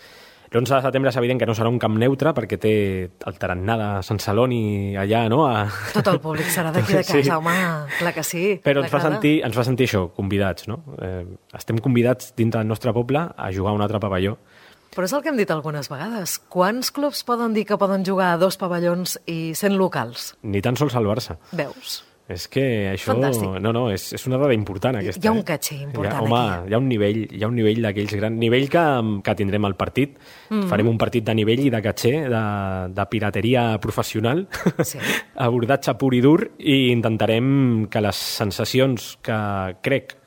L'onze de setembre és evident que no serà un camp neutre perquè té el tarannà de Sant Celoni allà, no? A... Tot el públic serà d'aquí de casa, sí. Home, clar que sí. Però ens fa, sentir, ens fa sentir això, convidats, no? Eh, estem convidats dintre del nostre poble a jugar a un altre pavelló. Però és el que hem dit algunes vegades. Quants clubs poden dir que poden jugar a dos pavellons i sent locals? Ni tan sols el Barça. Veus? És que això... Fantàstic. No, no, és, és una dada important, aquesta. Hi ha un eh? catxer important, hi ha, home, aquí. Hi ha un nivell, hi ha un nivell d'aquells grans... Nivell que, que tindrem al partit. Mm-hmm. Farem un partit de nivell i de catxer, de, de pirateria professional, sí. abordatge pur i dur, i intentarem que les sensacions que crec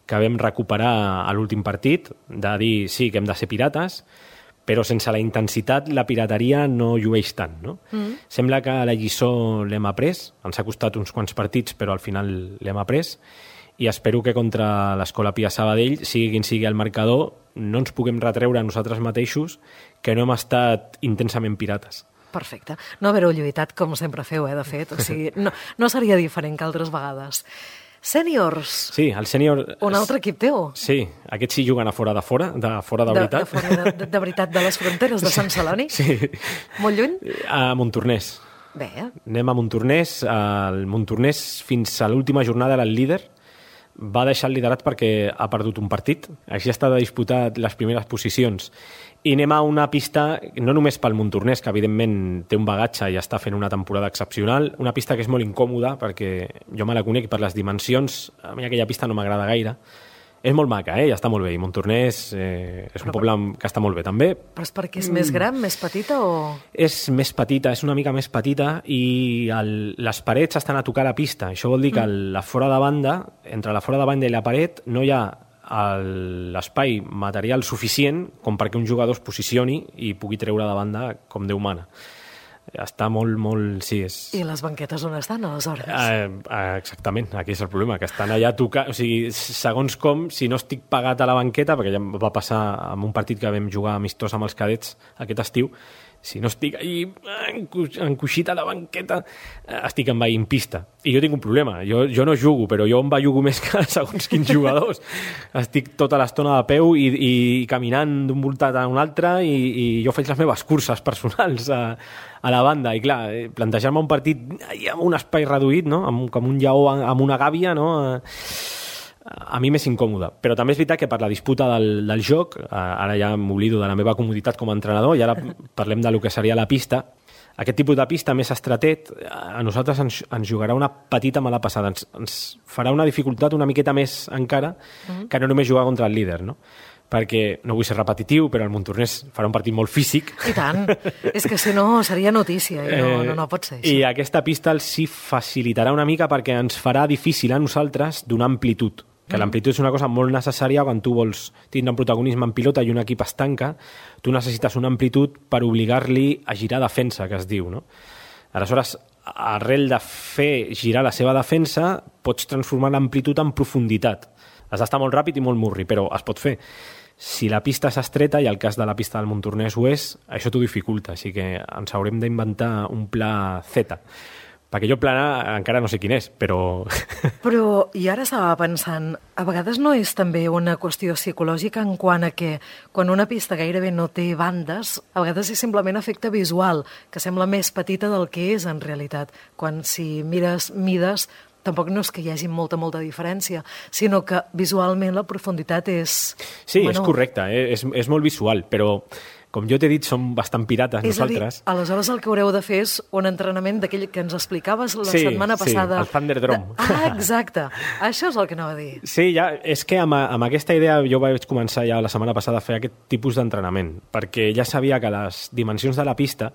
que vam recuperar a l'últim partit, de dir sí, que hem de ser pirates, però sense la intensitat la pirateria no llueix tant, no? Mm. Sembla que la lliçó l'hem après, ens ha costat uns quants partits, però al final l'hem après, i espero que contra l'Escola Pia Sabadell, sigui quin sigui el marcador, no ens puguem retreure a nosaltres mateixos que no hem estat intensament pirates. Perfecte. No haver-ho lluitat com sempre feu, eh, de fet. O sigui, no, no seria diferent que altres vegades. Sèniors. Sí, el sènior... Un altre equip teu. Sí, aquests sí juguen a fora de fora, de fora de, de veritat. De fora de, de, de veritat, de les fronteres de Sant Celoni? Sí. Molt lluny? A Montornès. Bé. Anem a Montornès. El Montornès fins a l'última jornada era el líder. Va deixar el liderat perquè ha perdut un partit. Així està de disputar les primeres posicions. I anem a una pista, no només pel Montornès, que evidentment té un bagatge i està fent una temporada excepcional, una pista que és molt incòmoda perquè jo me la conec per les dimensions, a mi aquella pista no m'agrada gaire. És molt maca, eh? Ja està molt bé. I Montornès eh, és un però, poble que està molt bé també. Però és perquè és mm. més gran, més petita o...? És més petita, és una mica més petita i el, les parets estan a tocar la pista. Això vol dir que mm. la fora de banda, entre la fora de banda i la paret, no hi ha l'espai material suficient com perquè un jugador es posicioni i pugui treure de banda com Déu mana. Està molt, molt... Sí, és... I les banquetes on estan, aleshores? Eh, exactament, aquí és el problema, que estan allà tocant... O sigui, segons com, si no estic pagat a la banqueta, perquè ja va passar en un partit que vam jugar amistós amb els cadets aquest estiu, si no estic ahí encoixit a la banqueta, estic envaint pista. I jo tinc un problema, jo, jo no jugo, però jo envajugo més que segons quins jugadors. Estic tota l'estona de peu i, i caminant d'un voltat a un altre i, i jo faig les meves curses personals a, a la banda. I clar, plantejar-me un partit amb un espai reduït, no? Amb, com un lleó amb una gàbia, no? A mi m'és incòmode, però també és veritat que per la disputa del, del joc, ara ja m'oblido de la meva comoditat com a entrenador i ara parlem de lo que seria la pista. Aquest tipus de pista més estretet a nosaltres ens, ens jugarà una petita mala passada, ens, ens farà una dificultat una miqueta més encara que no només jugar contra el líder, no? Perquè no vull ser repetitiu, però el Montornès farà un partit molt físic. I tant, és que si no seria notícia i no, no, no pot ser això. I aquesta pista els sí facilitarà una mica perquè ens farà difícil a nosaltres donar amplitud. Que l'amplitud és una cosa molt necessària quan tu vols tindre un protagonisme en pilota i un equip es tanca, tu necessites una amplitud per obligar-li a girar defensa, que es diu, no? Aleshores, arrel de fer girar la seva defensa, pots transformar l'amplitud en profunditat. Has d'estar molt ràpid i molt murri, però es pot fer. Si la pista és estreta, i el cas de la pista del Montornès ho és, això t'ho dificulta, així que ens haurem d'inventar un pla Z. Perquè jo plana encara no sé quin és, però... Però, i ara estava pensant, a vegades no és també una qüestió psicològica en quant a que quan una pista gairebé no té bandes, a vegades és simplement efecte visual, que sembla més petita del que és en realitat. Quan si mires mides, tampoc no és que hi hagi molta, molta diferència, sinó que visualment la profunditat és... Sí, menor. És correcte, eh? és, és molt visual, però com jo t'he dit, som bastant pirates és nosaltres. És a dir, aleshores el que haureu de fer és un entrenament d'aquell que ens explicaves la sí, setmana passada. Sí, el Thunderdome. De... Ah, exacte. Això és el que anava a dir. Sí, ja, és que amb, amb aquesta idea jo vaig començar ja la setmana passada a fer aquest tipus d'entrenament, perquè ja sabia que les dimensions de la pista,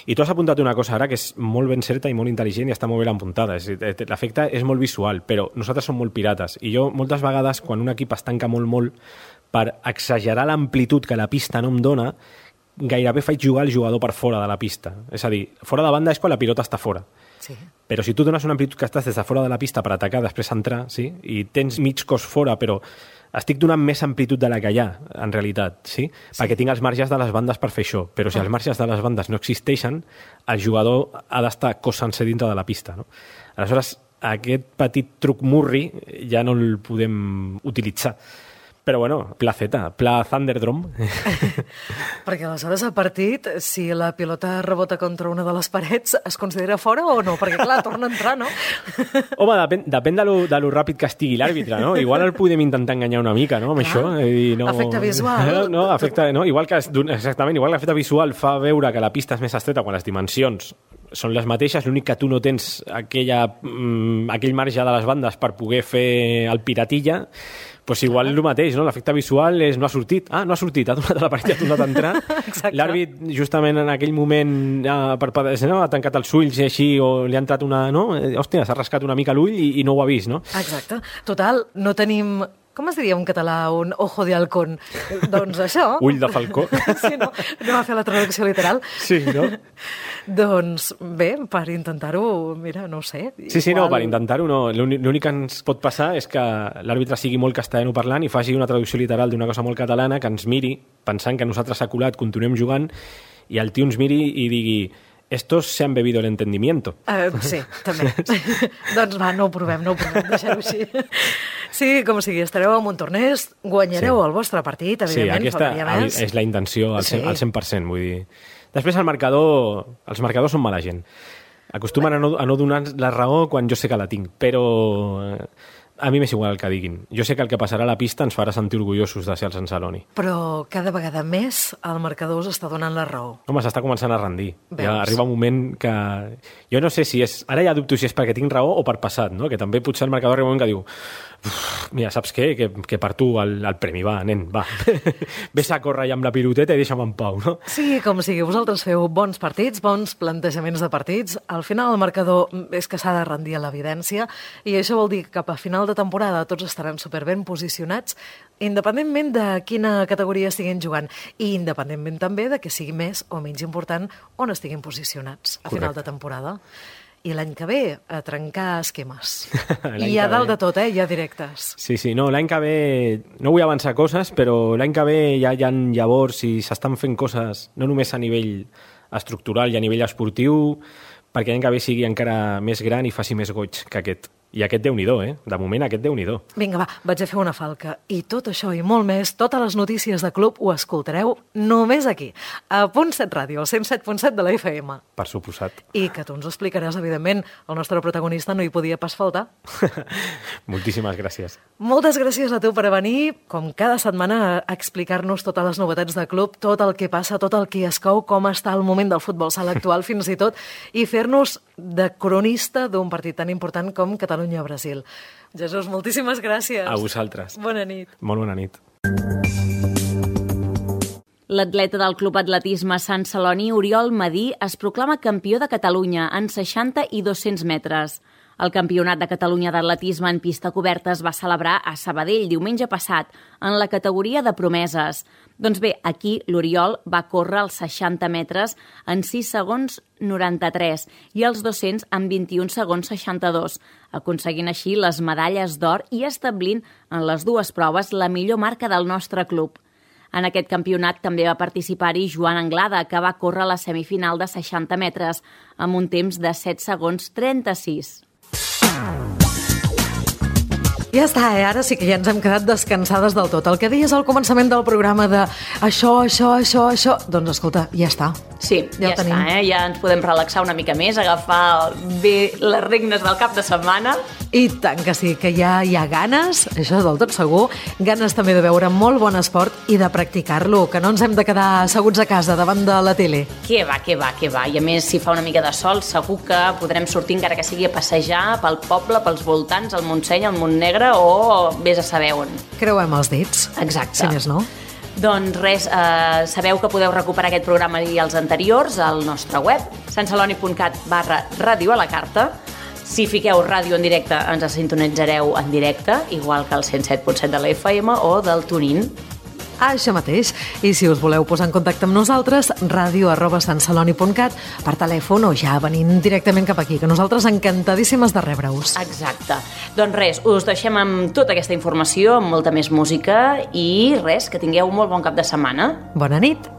i tu has apuntat una cosa ara que és molt ben certa i molt intel·ligent i està molt ben apuntada. L'efecte és molt visual, però nosaltres som molt pirates, i jo moltes vegades, quan un equip es tanca molt, molt, per exagerar l'amplitud que la pista no em dona, gairebé faig jugar el jugador per fora de la pista. És a dir, fora de banda és quan la pilota està fora. Sí. Però si tu dones una amplitud que estàs des de fora de la pista per atacar, després entrar, sí? I tens mig cos fora, però estic donant més amplitud de la que hi ha, en realitat, sí? sí. Perquè tinc els marges de les bandes per fer això. Però si els marges de les bandes no existeixen, el jugador ha d'estar cos sencer dintre de la pista, no? Aleshores, aquest petit truc murri ja no el podem utilitzar. Però bueno, pla feta, pla Thunderdome. Perquè aleshores el partit, si la pilota rebota contra una de les parets, es considera fora o no? Perquè clar, torna a entrar, no? Home, depèn, depèn de, lo, de lo ràpid que estigui l'àrbitre, no? Igual el podem intentar enganyar una mica, no?, amb clar, això. I no... Efecte visual. No, efecte, no? Igual que, exactament, igual que l'efecte visual fa veure que la pista és més estreta quan les dimensions són les mateixes, l'únic que tu no tens aquella, mm, aquell marge de les bandes per poder fer el piratilla, pues igual el mateix, no? L'efecte visual és no ha sortit. Ah, no ha sortit, ha donat a la paret i ha tornat a entrar. L'àrbit, justament en aquell moment, eh, per, no? ha tancat els ulls i així, o li ha entrat una... No? Hòstia, s'ha rascat una mica l'ull i, i no ho ha vist, no? Exacte. Total, no tenim... Com es diria en català? Un ojo de halcón. Doncs això... Ull de falcó. Sí, no, no va fer la traducció literal. Sí, no? Doncs bé, per intentar-ho, mira, no ho sé. Sí, sí, igual... no, per intentar-ho no. L'únic que ens pot passar és que l'àrbitre sigui molt castellano parlant i faci una traducció literal d'una cosa molt catalana, que ens miri, pensant que nosaltres s'ha colat, continuem jugant, i el tio ens miri i digui... Estos se han bebido el entendimiento. Uh, sí, també. Doncs va, no ho provem, no ho provem, deixem-ho així. Sí, com sigui, estareu en un torneig, guanyareu sí. el vostre partit, evidentment. Sí, aquesta és la intenció al cent per cent, vull dir. Després el marcador, els marcadors són mala gent. Acostumen a no, a no donar la raó quan jo sé que la tinc, però a mi m'és igual el que diguin. Jo sé que el que passarà a la pista ens farà sentir orgullosos de ser el Sant Celoni. Però cada vegada més el marcador us està donant la raó. Home, s'està començant a rendir. Ja arriba un moment que... Jo no sé si és... Ara ja dubto si és perquè tinc raó o per passat, no? Que també potser el marcador arriba un moment que diu mira, saps què? Que, que per tu el, el premi, va, nen, va. Ves a córrer amb la piloteta i deixa'm en pau, no? Sí, com sigui, vosaltres feu bons partits, bons plantejaments de partits. Al final el marcador és que s'ha de rendir a l'evidència i això vol dir que cap a final de temporada tots estaran superben posicionats, independentment de quina categoria estiguin jugant i independentment també de que sigui més o menys important on estiguin posicionats a final de temporada. I l'any que ve, a trencar esquemes. I a dalt de tot, eh? Hi ha directes. Sí, sí, no, l'any que ve... No vull avançar coses, però l'any que ve ja hi ha llavors i s'estan fent coses no només a nivell estructural i a nivell esportiu, perquè l'any que ve sigui encara més gran i faci més goig que aquest. I aquest Déu-n'hi-do, eh? De moment, aquest Déu-n'hi-do. Vinga, va, vaig a fer una falca. I tot això i molt més, totes les notícies de club ho escoltareu només aquí, a Punt set Ràdio, al cent set punt set de la F M. Per suposat. I que tu ens ho explicaràs, evidentment. El nostre protagonista no hi podia pas faltar. Moltíssimes gràcies. Moltes gràcies a tu per venir, com cada setmana, a explicar-nos totes les novetats de club, tot el que passa, tot el que es cou, com està el moment del futbol sala actual, fins i tot, i fer-nos de cronista d'un partit tan important com Catalunya-Brasil. Jesús, moltíssimes gràcies. A vosaltres. Bona nit. Molt bona nit. L'atleta del Club Atletisme Sant Celoni, Oriol Madí, es proclama campió de Catalunya en seixanta i dos-cents metres. El Campionat de Catalunya d'Atletisme en pista coberta es va celebrar a Sabadell diumenge passat, en la categoria de promeses. Doncs bé, aquí l'Oriol va córrer els seixanta metres en sis segons noranta-tres i els dos-cents en vint-i-un segons seixanta-dos, aconseguint així les medalles d'or i establint en les dues proves la millor marca del nostre club. En aquest campionat també va participar-hi Joan Anglada, que va córrer la semifinal de seixanta metres amb un temps de set segons trenta-sis. Ja està, eh? Ara sí que ja ens hem quedat descansades del tot. El que deies al començament del programa de això, això, això, això... Doncs escolta, ja està. Sí, ja, ja està, eh? Ja ens podem relaxar una mica més, agafar bé les regnes del cap de setmana. I tant que sí, que ja hi ha ganes, això és del tot segur, ganes també de veure molt bon esport i de practicar-lo, que no ens hem de quedar asseguts a casa davant de la tele. Que va, que va, que va. I a més, si fa una mica de sol, segur que podrem sortir, encara que sigui a passejar pel poble, pels voltants, al Montseny, al Montnegre o vés a saber on. Creuem els dits. Exacte. Si més no. Doncs res, eh, sabeu que podeu recuperar aquest programa i els anteriors al nostre web, santceloni.cat barra ràdio a la carta. Si fiqueu ràdio en directe, ens sintonitzareu en directe, igual que el cent set punt set de la F M o del TuneIn. Això mateix. I si us voleu posar en contacte amb nosaltres, ràdio arroba santceloni punt cat, per telèfon o ja venint directament cap aquí, que nosaltres encantadíssimes de rebre-us. Exacte. Doncs res, us deixem amb tota aquesta informació, amb molta més música i res, que tingueu un molt bon cap de setmana. Bona nit.